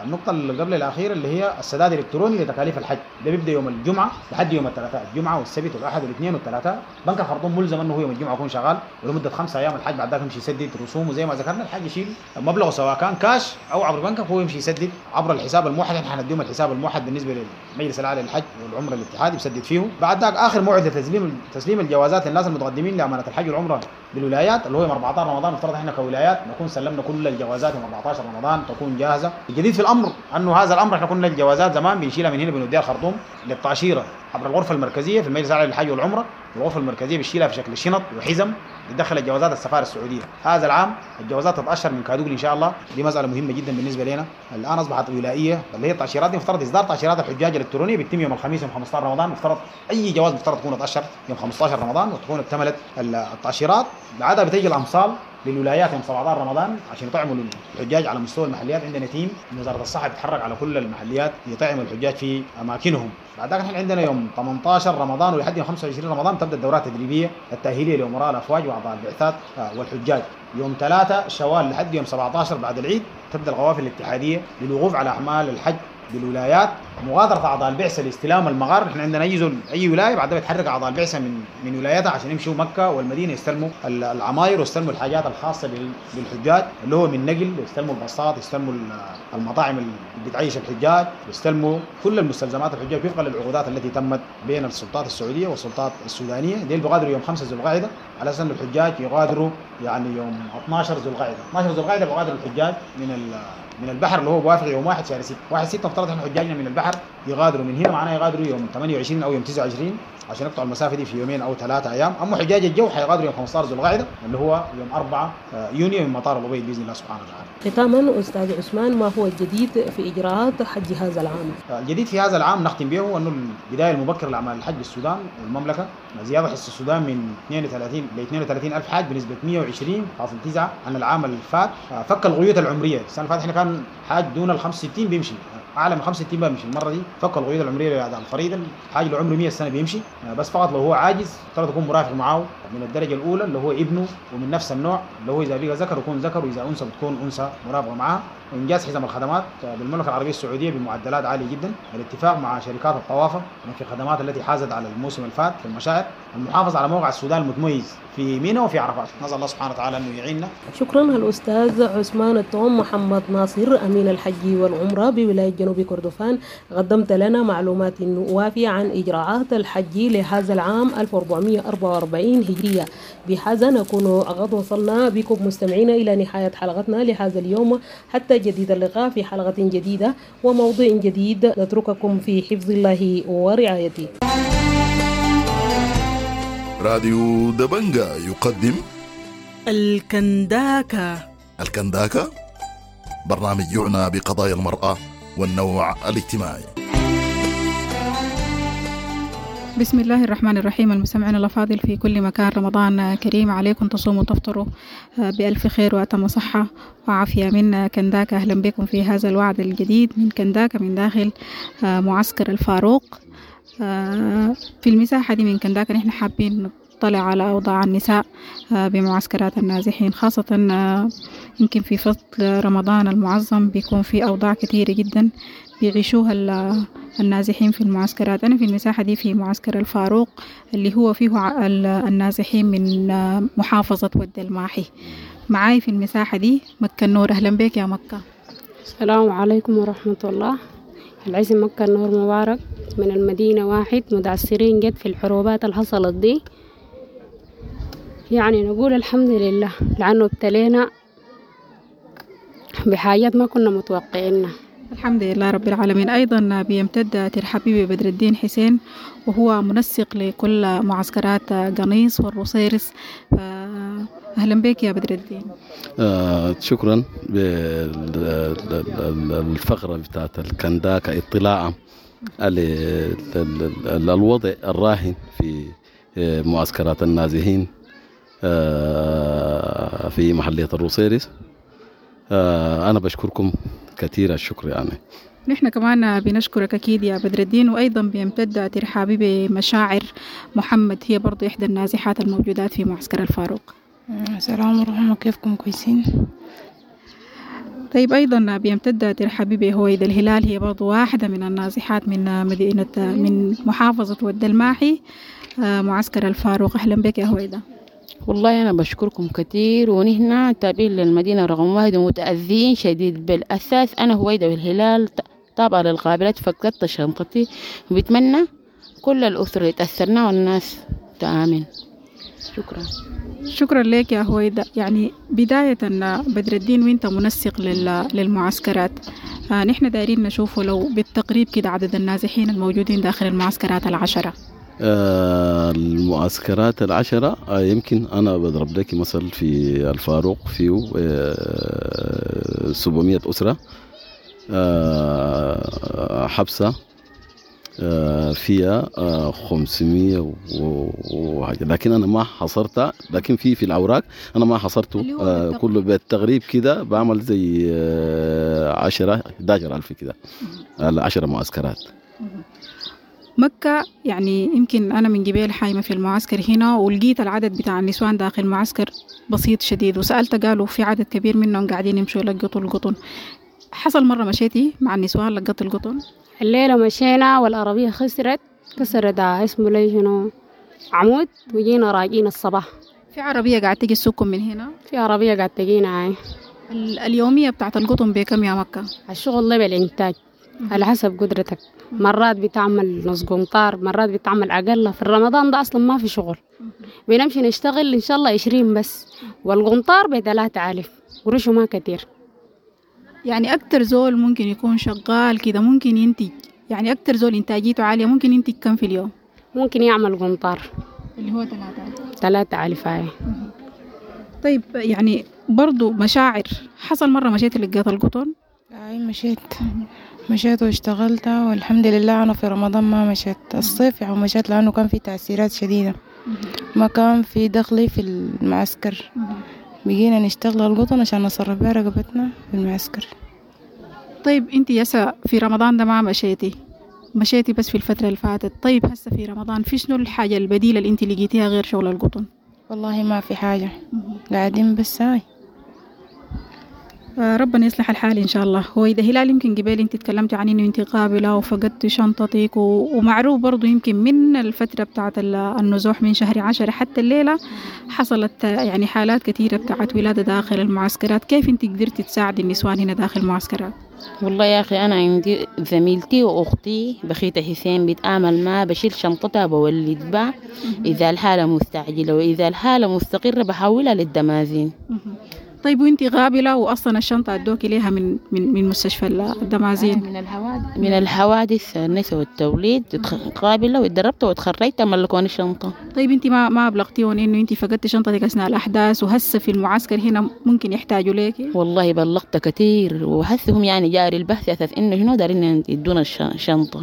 O: النقطة اللي قبل الأخيرة اللي هي السداد الإلكتروني لتكاليف الحج، ده بيبدأ يوم الجمعة لحد يوم الثلاثاء، الجمعة والسبت والأحد والاثنين والثلاثاء. بنك الخرطوم ملزم أنه هو يوم الجمعة يكون شغال ولمدة خمسة أيام الحج، بعد ذاك يمشي يسدد رسومه زي ما ذكرنا، الحج يشيل مبلغه سواء كان كاش أو عبر بنكك، هو يمشي يسدد عبر الحساب الموحد. احنا حنديهم الحساب الموحد بالنسبة للمجلس الأعلى للحج والعمرة الاتحادي بيسدد فيه. بعد ذاك آخر موعد لتسليم تسليم الجوازات للناس المتقدمين لأمانة الحج والعمرة بالولايات اللي هو يوم أربعة عشر رمضان، مفترض احنا كولايات نكون سلمنا كل الجوازات يوم أربعة عشر رمضان تكون جاهزة. الجديد في الامر انه هذا الامر احنا كنا الجوازات زمان بنشيلها من هنا بنوديها الخرطوم للتاشيره عبر الغرفة المركزية في المجلس الاعلى للحج والعمرة، الغرفة المركزية بتشيلها في شكل شنط وحزم بتدخل الجوازات السفارة السعودية. هذا العام الجوازات تتاشر من كادوغلي ان شاء الله، دي مسالة مهمة جدا بالنسبة لنا. الان اصبحت ولائيه اللي هي التاشيرات دي، مفترض اصدار تاشيرات الحجاج الالكترونية بيتم يوم الخميس يوم خمسة عشر رمضان، مفترض اي جواز مفترض تكون اتاشر يوم خمسة عشر رمضان وتكون اكتملت التاشيرات. بعدها بتيجي الامصال للولايات يوم سبعة عشر رمضان عشان يطعموا الحجاج على مستوى المحليات. عندنا team من وزارة الصحة بيتحرك على كل المحليات يطعموا الحجاج في اماكنهم. بعد ذلك احنا عندنا يوم ثمانية عشر رمضان ولحد يوم خمسة وعشرين رمضان تبدا الدورات التدريبية التاهيليه لامراء الافواج واعضاء البعثات والحجاج. يوم ثلاثة شوال لحد يوم سبعة عشر بعد العيد تبدا القوافل الاتحادية للوقوف على اعمال الحج بالولايات، مغادرة اعضاء البعثة لاستلام المغار. احنا عندنا اي زول اي ولاية بعد بيتحرك اعضاء البعثة من من ولايتها عشان يمشوا مكة والمدينة يستلموا العماير ويستلموا الحاجات الخاصة بالحجاج اللي هو من نقل، يستلموا الباصات، يستلموا المطاعم اللي بتعيش الحجاج، يستلموا كل المستلزمات الحجاج وفقا للعقودات التي تمت بين السلطات السعودية والسلطات السودانية. دي بيغادروا يوم خمسة ذو القعدة على اساس ان الحجاج يغادروا يعني يوم اثنا عشر ذو القعدة. اثنا عشر ذو القعدة بيغادروا الحجاج من من البحر اللي هو بوافق يوم واحد شهر ستة. واحد ستة افترض احنا حجاجنا من البحر يغادروا من هنا، معناه يغادروا يوم ثمانية وعشرين او يوم تسعة وعشرين عشان يقطعوا المسافة دي في يومين او ثلاثة ايام. اما حجاج الجو حيغادروا يوم خمسة عشر ذو القعدة اللي هو يوم أربعة يونيو من مطار الابيض باذن الله سبحانه وتعالى.
N: ختاما استاذ عثمان، ما هو الجديد في اجراءات حج هذا العام؟
O: الجديد في هذا العام نختم به انه البداية المبكرة لاعمال الحج بالسودان والمملكة، زيادة حصة السودان من اثنين وثلاثين ل اثنين وثلاثين ألف حاج بنسبة مية وعشرين فاصل تسعة عن العام اللي فات. فك القيود العمريه، السنة اللي فاتت احنا كان حاج دون ال خمسة وستين بيمشي، اعلى من خمسة وستين بيمشي. المرة دي فك القيود العمرية لاداء الفريضة، الحاج اللي عمره مية سنة بيمشي، بس فقط لو هو عاجز افترض يكون مرافق معه من الدرجة الاولى اللي هو ابنه ومن نفس النوع، اللي هو اذا بقى ذكر يكون ذكر واذا انثى بتكون انثى مرافقة معاه. انجاز حزم الخدمات بالمملكة العربية السعودية بمعدلات عالية جدا، الاتفاق مع شركات الطوافه في الخدمات التي حازت على الموسم الفات في المشاعر، المحافظة على موقع السودان المتميز في منى وفي عرفات. نسال الله سبحانه وتعالى انه يعيننا.
N: شكرا الأستاذ عثمان التوم محمد ناصر، أمين الحج والعمرة بولاية جنوب كردفان، قدمت لنا معلومات وافية عن إجراءات الحج لهذا العام ألف وأربعمية وأربعة وأربعين هجرية. بهذا نكون قد وصلنا بكم مستمعينا إلى نهاية حلقتنا لهذا اليوم، حتى جديد اللقاء في حلقة جديدة وموضوع جديد، نترككم في حفظ الله ورعايته.
P: راديو دبنجا يقدم
M: الكنداكة.
P: الكنداكة، برنامج يعنى بقضايا المرأة والنوع الاجتماعي.
J: بسم الله الرحمن الرحيم. المستمعين الأفاضل في كل مكان، رمضان كريم عليكم، تصوموا وتفطروا بألف خير وأتم صحة وعافية. من كنداكا، أهلا بكم في هذا الوعد الجديد من كنداكا من داخل معسكر الفاروق. في المساحة دي من كنداكا نحن حابين نطلع على أوضاع النساء بمعسكرات النازحين، خاصة يمكن في فصل رمضان المعظم بيكون في أوضاع كثيرة جدا بيعيشوها النازحين في المعسكرات. أنا في المساحة دي في معسكر الفاروق اللي هو فيه النازحين من محافظة ود الماحي. معاي في المساحة دي مكة النور. أهلا بك يا مكة.
Q: السلام عليكم ورحمة الله. العزم مكة النور مبارك من المدينة واحد، متعثرين جد في الحروبات اللي حصلت دي، يعني نقول الحمد لله لأنه ابتلينا بحاجات ما كنا متوقعينها.
J: الحمد لله رب العالمين. أيضا بيمتد ترحابي ببدر الدين حسين، وهو منسق لكل معسكرات قنيص والروصيرص. أهلا بك يا بدر الدين.
R: آه شكرا بالفقرة بتاعت الكنداكا، اطلاعا على الوضع الراهن في معسكرات النازحين آه في محلية الروصيرص. آه أنا بشكركم كثير الشكر يعني.
J: نحن كمان بنشكرك أكيد يا بدر الدين. وأيضا بيمتد ترحابي بمشاعر محمد، هي برضو إحدى النازحات الموجودات في معسكر الفاروق.
S: السلام ورحمة، كيفكم؟ كويسين؟
J: طيب، أيضا بيمتد ترحابي بهويدا الهلال، هي برضو واحدة من النازحات من مدينة من محافظة ود الماحي، معسكر الفاروق. أهلا بك يا هويدا.
T: والله أنا بشكركم كثير، ونحن تابعين للمدينة رقم واحد ومتأذين شديد. بالأساس أنا هويدا بالهلال تابعة للقابلات، فقدت شنطتي، وبتمنى كل الأسر اللي تأثرنا والناس تآمن. شكرا.
J: شكرا لك يا هويدا. يعني بداية بدر الدين، وانت منسق للمعسكرات، آه نحن دايرين نشوفه لو بالتقريب كده عدد النازحين الموجودين داخل المعسكرات العشرة.
R: آه المعسكرات العشرة، آه يمكن أنا بضرب لك مثل في الفاروق فيه آه سبعمية أسرة، آه حبسة آه فيها آه خمسمية وحاجة، لكن أنا ما حصرتها، لكن في في الأوراق أنا ما حصرته آه كله بالتقريب كده، بعمل زي آه عشرة إحدى عشر ألف كده، العشرة معسكرات.
J: مكة، يعني يمكن أنا من قبيل حايمة في المعسكر هنا ولقيت العدد بتاع النسوان داخل المعسكر بسيط شديد، وسألت قالوا في عدد كبير منهم قاعدين يمشوا يلقطوا القطن. حصل مرة مشيتي مع النسوان لقطت القطن؟
Q: الليلة مشينا والعربية خسرت كسرت اسمه لي شنو عمود، وجينا راجعين الصباح.
J: في عربية قاعد تجي تسوقكم من هنا؟
Q: في عربية قاعد تجينا. هاي
J: ال- اليومية بتاعت القطن بكم يا مكة؟
Q: الشغل ده بالإنتاج على حسب قدرتك، مرات بتعمل نص قنطار، مرات بتعمل أقل. في رمضان ده أصلا ما في شغل، بنمشي نشتغل إن شاء الله عشرين بس، والقنطار بثلاثة ألف قروشه ما كتير.
J: يعني أكتر زول ممكن يكون شغال كده ممكن ينتج، يعني أكتر زول إنتاجيته عالية ممكن ينتج كم في اليوم؟
Q: ممكن يعمل قنطار
J: اللي هو ثلاثة ألف.
Q: ثلاثة ألف هاي.
J: طيب يعني برضو مشاعر، حصل مرة مشيت لقيت القطن؟
S: أي مشيت مشيت واشتغلت والحمد لله. أنا في رمضان ما مشيت، الصيف يعني مشيت لأنه كان في تأثيرات شديدة، ما كان في دخلي في المعسكر، بقينا نشتغل القطن عشان نصرف بها رقبتنا في المعسكر.
J: طيب انت يسا في رمضان ده ما مشيتي، مشيتي بس في الفترة اللي فاتت. طيب هسه في رمضان في شنو الحاجة البديلة اللي انت لقيتيها غير شغل القطن؟
S: والله ما في حاجة، قاعدين بس هاي.
J: آه، ربنا يصلح الحال إن شاء الله. هو إذا هلال يمكن قبل أنت تكلمتي عن إنه أنت قابلة وفقدتي شنطتك و... ومعروف برضو يمكن من الفترة بتاعت ال- النزوح من شهر عشرة حتى الليلة حصلت آه، يعني حالات كثيرة بتاعت ولادة داخل المعسكرات. كيف أنت قدرتي تساعدي النسوان هنا داخل المعسكرات؟
T: والله يا أخي أنا عندي زميلتي وأختي بخيتة حسين بتآمل ما بشيل شنطتها بولد بها إذا الحالة مستعجلة، وإذا الحالة مستقرة بحولها للدمازين.
J: طيب وانت غابلة وأصلا الشنطة أدوكي ليها من من من مستشفى الدمازين؟
T: من الحوادث من الحوادث النساء والتوليد قابلة واتدربت واتخرجت ملكوني الشنطة.
J: طيب انت ما ما ابلغتيهم انه انت فقدتي شنطتك اثناء الاحداث وهسه في المعسكر هنا ممكن يحتاجوا ليكي؟
T: والله بلغت كتير وحسهم يعني جاري البحث أساس إنه شنو دارين يدونا الشنطة،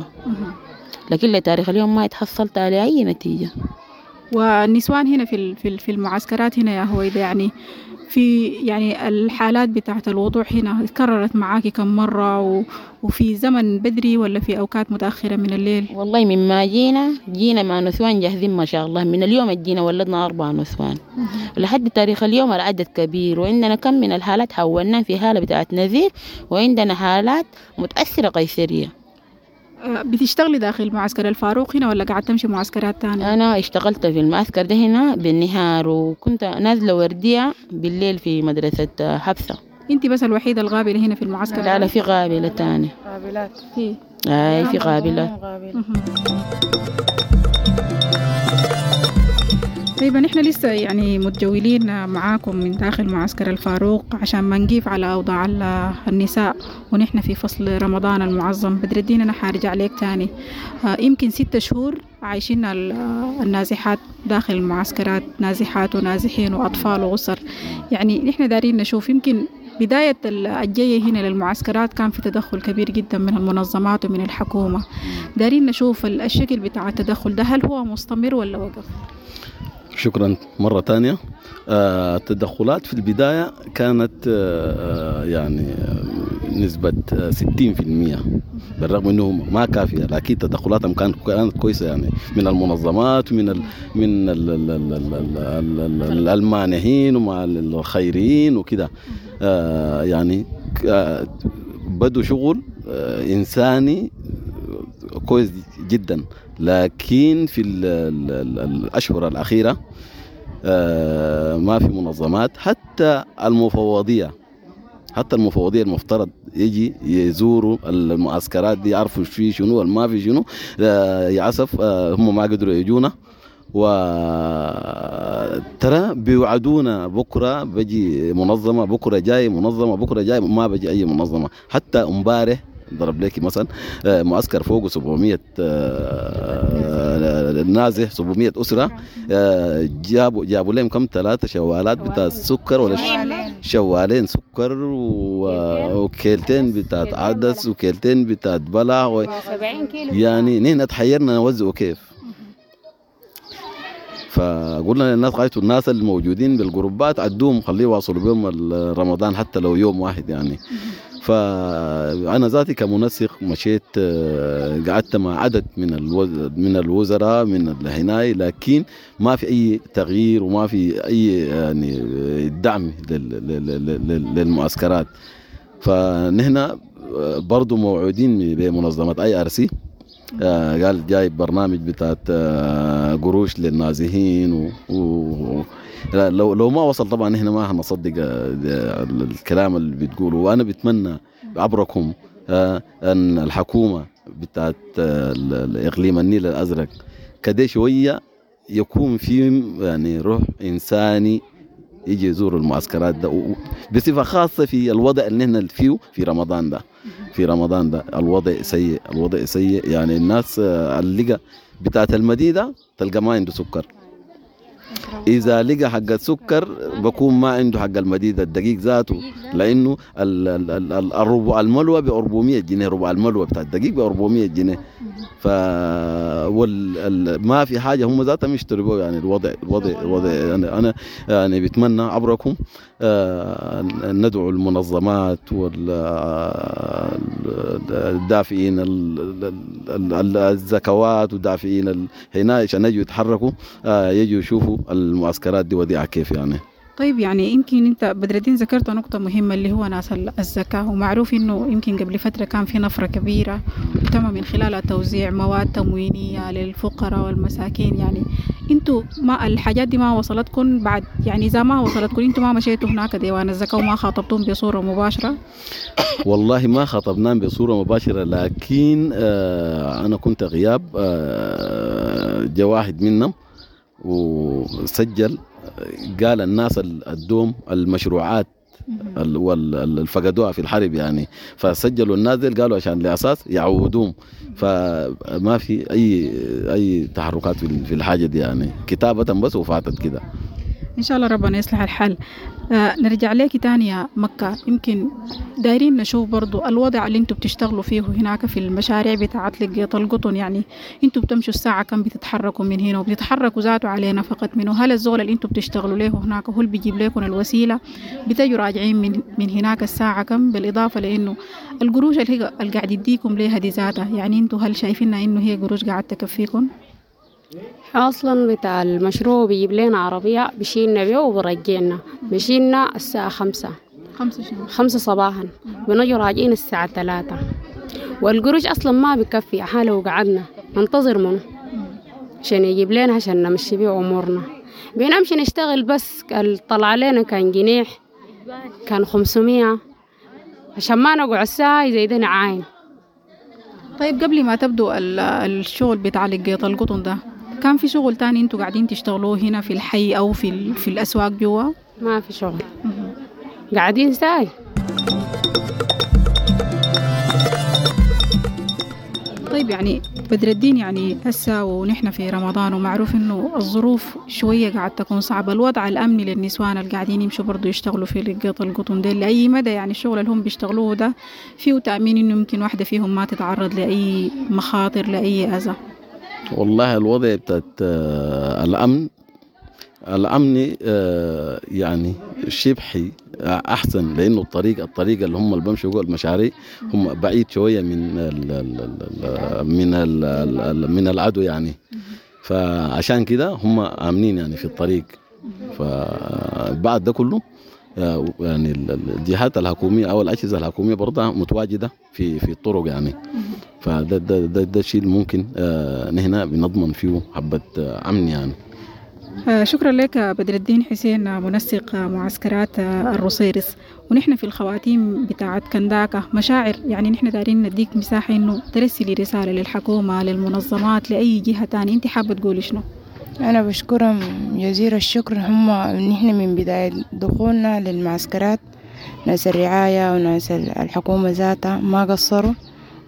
T: لكن لتاريخ اليوم ما اتحصلت على أي نتيجة.
J: والنسوان هنا في في في المعسكرات هنا يا هويدا، يعني في يعني الحالات بتاعة الوضوع هنا اتكررت معاكي كم مرة و... وفي زمن بدري ولا في أوقات متأخرة من الليل؟
T: والله مما جينا جينا مع نسوان جاهزين ما شاء الله، من اليوم جينا ولدنا أربع نسوان لحد تاريخ اليوم العدد كبير، وعندنا كم من الحالات حولنا في حالة بتاعة نزيف، وعندنا حالات متأثرة قيصرية.
J: بتشتغلي داخل معسكر الفاروق هنا ولا قاعد تمشي معسكرات تانية؟
T: أنا اشتغلت في المعسكر ده هنا بالنهار، وكنت نازلة وردية بالليل في مدرسة حبسة.
J: انت بس الوحيدة الغابلة هنا في المعسكر؟
T: لا لا، في غابلة تانية.
S: غابلات
J: في
T: أي في غابلات.
J: طيب نحن لسه يعني متجولين معاكم من داخل معسكر الفاروق عشان ما نقيف على أوضاع النساء ونحن في فصل رمضان المعظم. بدر الدين أنا حارجع لك تاني، يمكن ستة شهور عايشين النازحات داخل المعسكرات، نازحات ونازحين وأطفال وأسر. يعني نحن دارين نشوف يمكن بداية الجاية هنا للمعسكرات كان في تدخل كبير جدا من المنظمات ومن الحكومة، دارين نشوف الشكل بتاع التدخل ده هل هو مستمر ولا وقف؟
R: شكرا مرة تانية. آه، التدخلات في البداية كانت آه، يعني نسبة ستين في المية، بالرغم انه ما كافية لكن تدخلاتهم كانت كانت كويسة، يعني من المنظمات ومن ال من ال ال ال ال ال المانحين ومع الخيريين وكده. آه، يعني آه، بدوا شغل آه، إنساني كويس جدا، لكن في ال ال الأشهر الأخيرة ما في منظمات، حتى المفوضية حتى المفوضية المفترض يجي يزوروا المعسكرات دي يعرفوا في شنو وما في شنو، يعسف هم ما قدروا يجونا، وترى بيوعدونا بكرة بجي منظمة، بكرة جاي منظمة، بكرة جاي، ما بجي أي منظمة. حتى امبارح ضرب لك مثلا معسكر فوق سبعمية نازح، سبعمية أسرة، جابوا جابوا لهم كم ثلاثة شوالات بتاع السكر ولا شوالين سكر وكيلتين بتاع عدس وكيلتين بتاع بلع و... يعني نحن تحيرنا نوزعه كيف. فقلنا للناس غايتوا الناس الموجودين بالجروبات عدوهم خليه يواصلوا بهم رمضان حتى لو يوم واحد يعني. فأنا ذاتي كمنسق مشيت قعدت مع عدد من من الوزراء من الهناي، لكن ما في أي تغيير وما في أي يعني دعم للمعسكرات. فنحن برضو موعودين بمنظمة IRC، قال جايب برنامج بتاعت قروش للنازحين و, و لو لو ما وصل طبعا نحن ما هنصدق الكلام اللي بتقوله. وانا بتمنى عبركم ان الحكومة بتاعت الاقليم النيل الازرق كده شوية يكون في يعني روح انساني يجي يزور المعسكرات ده، بصفة خاصة في الوضع اللي نحن فيه في رمضان ده. في رمضان ده الوضع سيء، الوضع سيء يعني الناس اللقى بتاعت المدينة تلقى ما عنده سكر، إذا لقى حق السكر بكون ما عنده حق المديدة الدقيق ذاته، لأنه الربع الملوى ب أربعمية جنيه، ربع الملوى بتاع الدقيق ب أربعمية جنيه. ف وال... ما في حاجة هم ذاتهم يشتروا يعني. الوضع الوضع الوضع يعني أنا يعني بتمنى عبركم آه ندعو المنظمات والدافئين الزكوات ودافئين هنا عشان يجوا يتحركوا، آه يجوا يشوفوا المعسكرات دي وضعها كيف يعني.
J: طيب يعني يمكن انت بدر الدين ذكرت نقطة مهمة اللي هو ناس الزكاة، ومعروف انه يمكن قبل فترة كان في نفرة كبيرة وتم من خلالها توزيع مواد تموينية للفقراء والمساكين. يعني انتوا ما الحاجات دي ما وصلتكم بعد، يعني اذا ما وصلتكم انتوا ما مشيتوا هناك ديوان الزكاة وما خاطبتم بصورة مباشرة؟
R: والله ما خاطبناهم بصورة مباشرة، لكن آه انا كنت غياب، آه جا واحد منهم وسجل، قال الناس الدوم المشروعات اللي فقدوها في الحرب يعني، فسجلوا الناس دي قالوا عشان لأساس يعودوهم. فما في أي أي تحركات في الحاجة دي يعني، كتابة بس وفاتت كده.
J: إن شاء الله ربنا يصلح الحال. آه نرجع لك تاني يا مكة، يمكن دايرين نشوف برضو الوضع اللي انتوا بتشتغلوا فيه هناك في المشاريع بتاعت لقيط القطن. يعني انتوا بتمشوا الساعة كم بتتحركوا من هنا، وبتتحركوا ذاته على نفقة منه؟ هل الزول اللي انتوا بتشتغلوا له هناك هو اللي بيجيب لكم الوسيلة؟ بتجوا راجعين من, من هناك الساعة كم؟ بالإضافة لأنه القروش اللي هي اللي قاعد يديكم ليها دي ذاتها، يعني انتوا هل شايفينها انه هي قروش قاعد تكفيكم؟
Q: أصلا بتاع المشروع بيجيب لنا عربية بيشيلنا بيه وبرجعنا، بيشيلنا الساعة خمسة
J: خمسة شنو؟
Q: خمسة صباحا، بنجي راجعين الساعة ثلاثة. والقروش أصلا ما بكفي حاله، وقعدنا ننتظر منه عشان يجيب لنا عشان نمشي بيه أمورنا. بنمشي نشتغل بس طلع لنا كان جنيح كان خمسمية عشان ما نقعد ساعة زي ده نعاين.
J: طيب قبل ما تبدو الشغل بتاع لقيط القطن ده، كان في شغل تاني انتوا قاعدين تشتغلوه هنا في الحي او في في الاسواق جوا؟
Q: ما في شغل، قاعدين ساي.
J: طيب يعني بدر الدين، يعني هسه ونحن في رمضان ومعروف انه الظروف شوية قاعد تكون صعبة، الوضع الامني للنسوان اللي قاعدين يمشوا برضو يشتغلوا في لقيط القطن ده لاي مدى يعني الشغل اللي هم بيشتغلوه ده فيه تامين انه يمكن واحدة فيهم ما تتعرض لاي مخاطر لاي اذى؟
R: والله الوضع بتاعت الأمن الأمني يعني شبحي أحسن، لأنه الطريق الطريقة اللي هم اللي بمشوا جوا المشاريع هم بعيد شوية من ال ال من ال من العدو يعني، فعشان كده هم آمنين يعني في الطريق. فبعد ده كله يعني الجهات الحكومية أو الأجهزة الحكومية برضه متواجدة في في الطرق يعني، فده ده ده, ده الشيء ممكن آه نحن بنضمن فيه حبة أمن يعني.
J: شكرا لك بدر الدين حسين، منسق معسكرات الروصيرص. ونحن في الخواتيم بتاعت كنداكا مشاعر، يعني نحن دارين نديك مساحة إنه ترسلي رسالة للحكومة للمنظمات لأي جهة تانية، أنت حابة تقولي شنو؟
S: أنا بشكرهم جزيل الشكر، هم نحن من بداية دخولنا للمعسكرات ناس الرعاية وناس الحكومة ذاتها ما قصروا،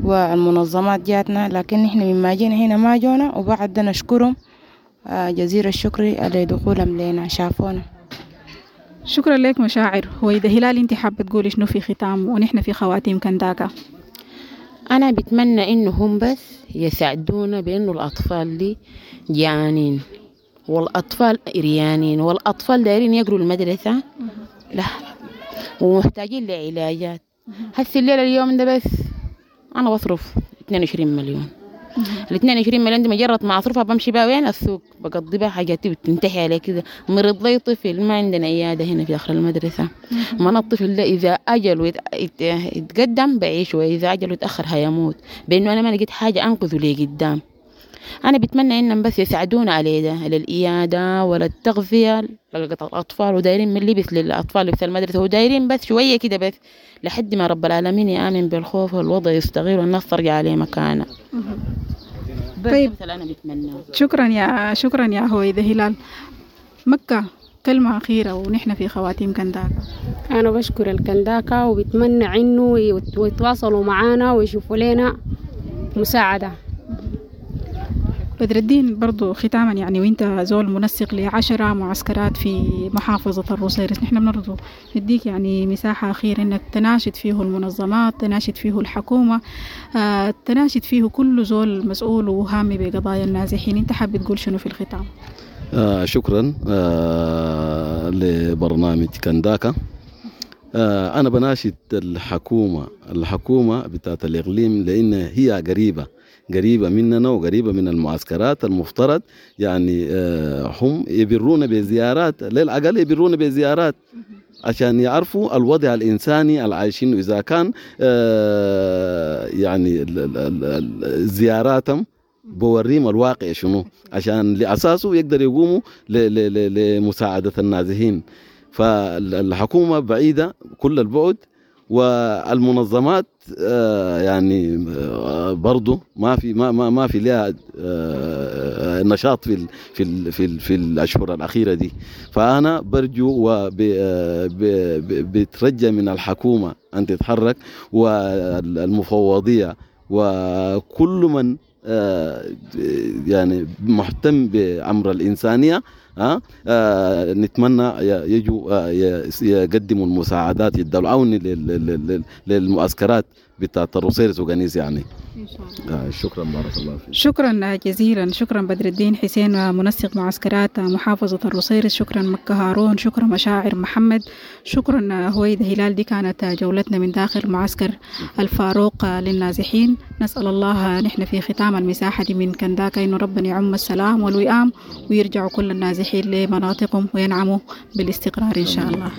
S: والمنظمات جاتنا، لكن نحن مما جينا هنا ما جونا، وبعد نشكرهم جزيل الشكر لدخولهم لنا شافونا.
J: شكرا لك مشاعر. هويدا هلال، انت حابة تقولي شنو في ختام ونحن في خواتيم كنداكا؟
T: أنا بتمنى إنهم بس يساعدونا بإنه الأطفال دي جعانين والأطفال إريانين والأطفال دايرين يقروا المدرسة لا ومحتاجين لعلاجات. هسه الليلة اليوم ده بس أنا بصرف اثنين وعشرين مليون. ال اتنين وعشرين مليون دي مجرد ما أصرفها بمشي بها وين السوق، بقضي بها حاجاتي وتنتهي على كده. مرض لي طفل، ما عندنا عيادة هنا في داخل المدرسة. ما أنا الطفل ده إذا أجل يتقدم بعيش، وإذا أجل يتأخر هيموت، بأنه أنا ما لقيت حاجة أنقذه ليه قدام. أنا بتمنى إنهم بس يساعدونا على ده، على الإيادة ولا التغذية للأطفال، ودايرين من لبس للأطفال لبس المدرسة، ودايرين بس شوية كده بس لحد ما رب العالمين يآمن بالخوف والوضع يستغير والناس ترجع عليه مكانها.
J: طيب
T: أنا بتمنى.
J: شكرا يا شكرا يا هويدا هلال. مكة كلمة أخيرة ونحن في خواتيم كنداكا.
Q: أنا بشكر الكنداكا وبتمنى إنه يتواصلوا معانا ويشوفوا لنا مساعدة.
J: بدر الدين برضو ختاما، يعني وانت زول منسق لعشرة معسكرات في محافظة الروصيرص، نحن بنرجو نديك يعني مساحة أخيرة انك تناشد فيه المنظمات، تناشد فيه الحكومة، آه، تناشد فيه كل زول مسؤول وهامي بقضايا النازحين. انت حابب تقول شنو في الختام؟
R: آه شكرا آه لبرنامج كنداكا. آه أنا بناشد الحكومة الحكومة بتاعت الإقليم، لأن هي قريبة قريبة مننا وقريبة من المعسكرات. المفترض يعني آه هم يبرونا بزيارات، للأقل يبرونا بزيارات عشان يعرفوا الوضع الإنساني العايشين. إذا كان آه يعني زياراتهم بوريهم الواقع شنو، عشان لأساسه يقدر يقوموا لمساعدة النازحين. فالحكومة بعيدة كل البعد، والمنظمات يعني برضو ما في ما ما ما في لها نشاط في في في في الاشهر الاخيره دي. فانا برجو وبترجى من الحكومه ان تتحرك، والمفوضيه وكل من يعني مهتم بأمر الإنسانية، أه؟ أه نتمنى يجوا يقدموا المساعدات، يدوا العون للمعسكرات بتاعت الروصيرص وقنيز يعني.
J: إن شاء الله.
R: آه شكرا، بارك الله فيك.
J: شكرا جزيلا، شكرا بدر الدين حسين منسق معسكرات محافظة الروصيرص، شكرا مكة هارون، شكرا مشاعر محمد، شكرا هويدا هلال. دي كانت جولتنا من داخل معسكر الفاروق للنازحين. نسأل الله نحن في ختام المساحة دي من كنداكا إنه ربنا يعم السلام والوئام ويرجعوا كل النازحين لمناطقهم وينعموا بالاستقرار إن شاء الله.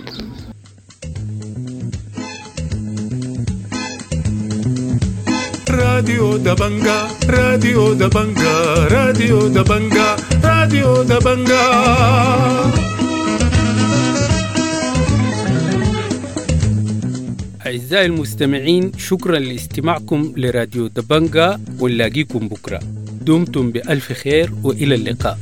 A: راديو دبنجا، راديو دبنجا، راديو دبنجا، راديو دبنجا.
U: أعزائي المستمعين، شكرا لاستماعكم لراديو دبنجا، ونلاقيكم بكرة. دمتم بألف خير وإلى اللقاء.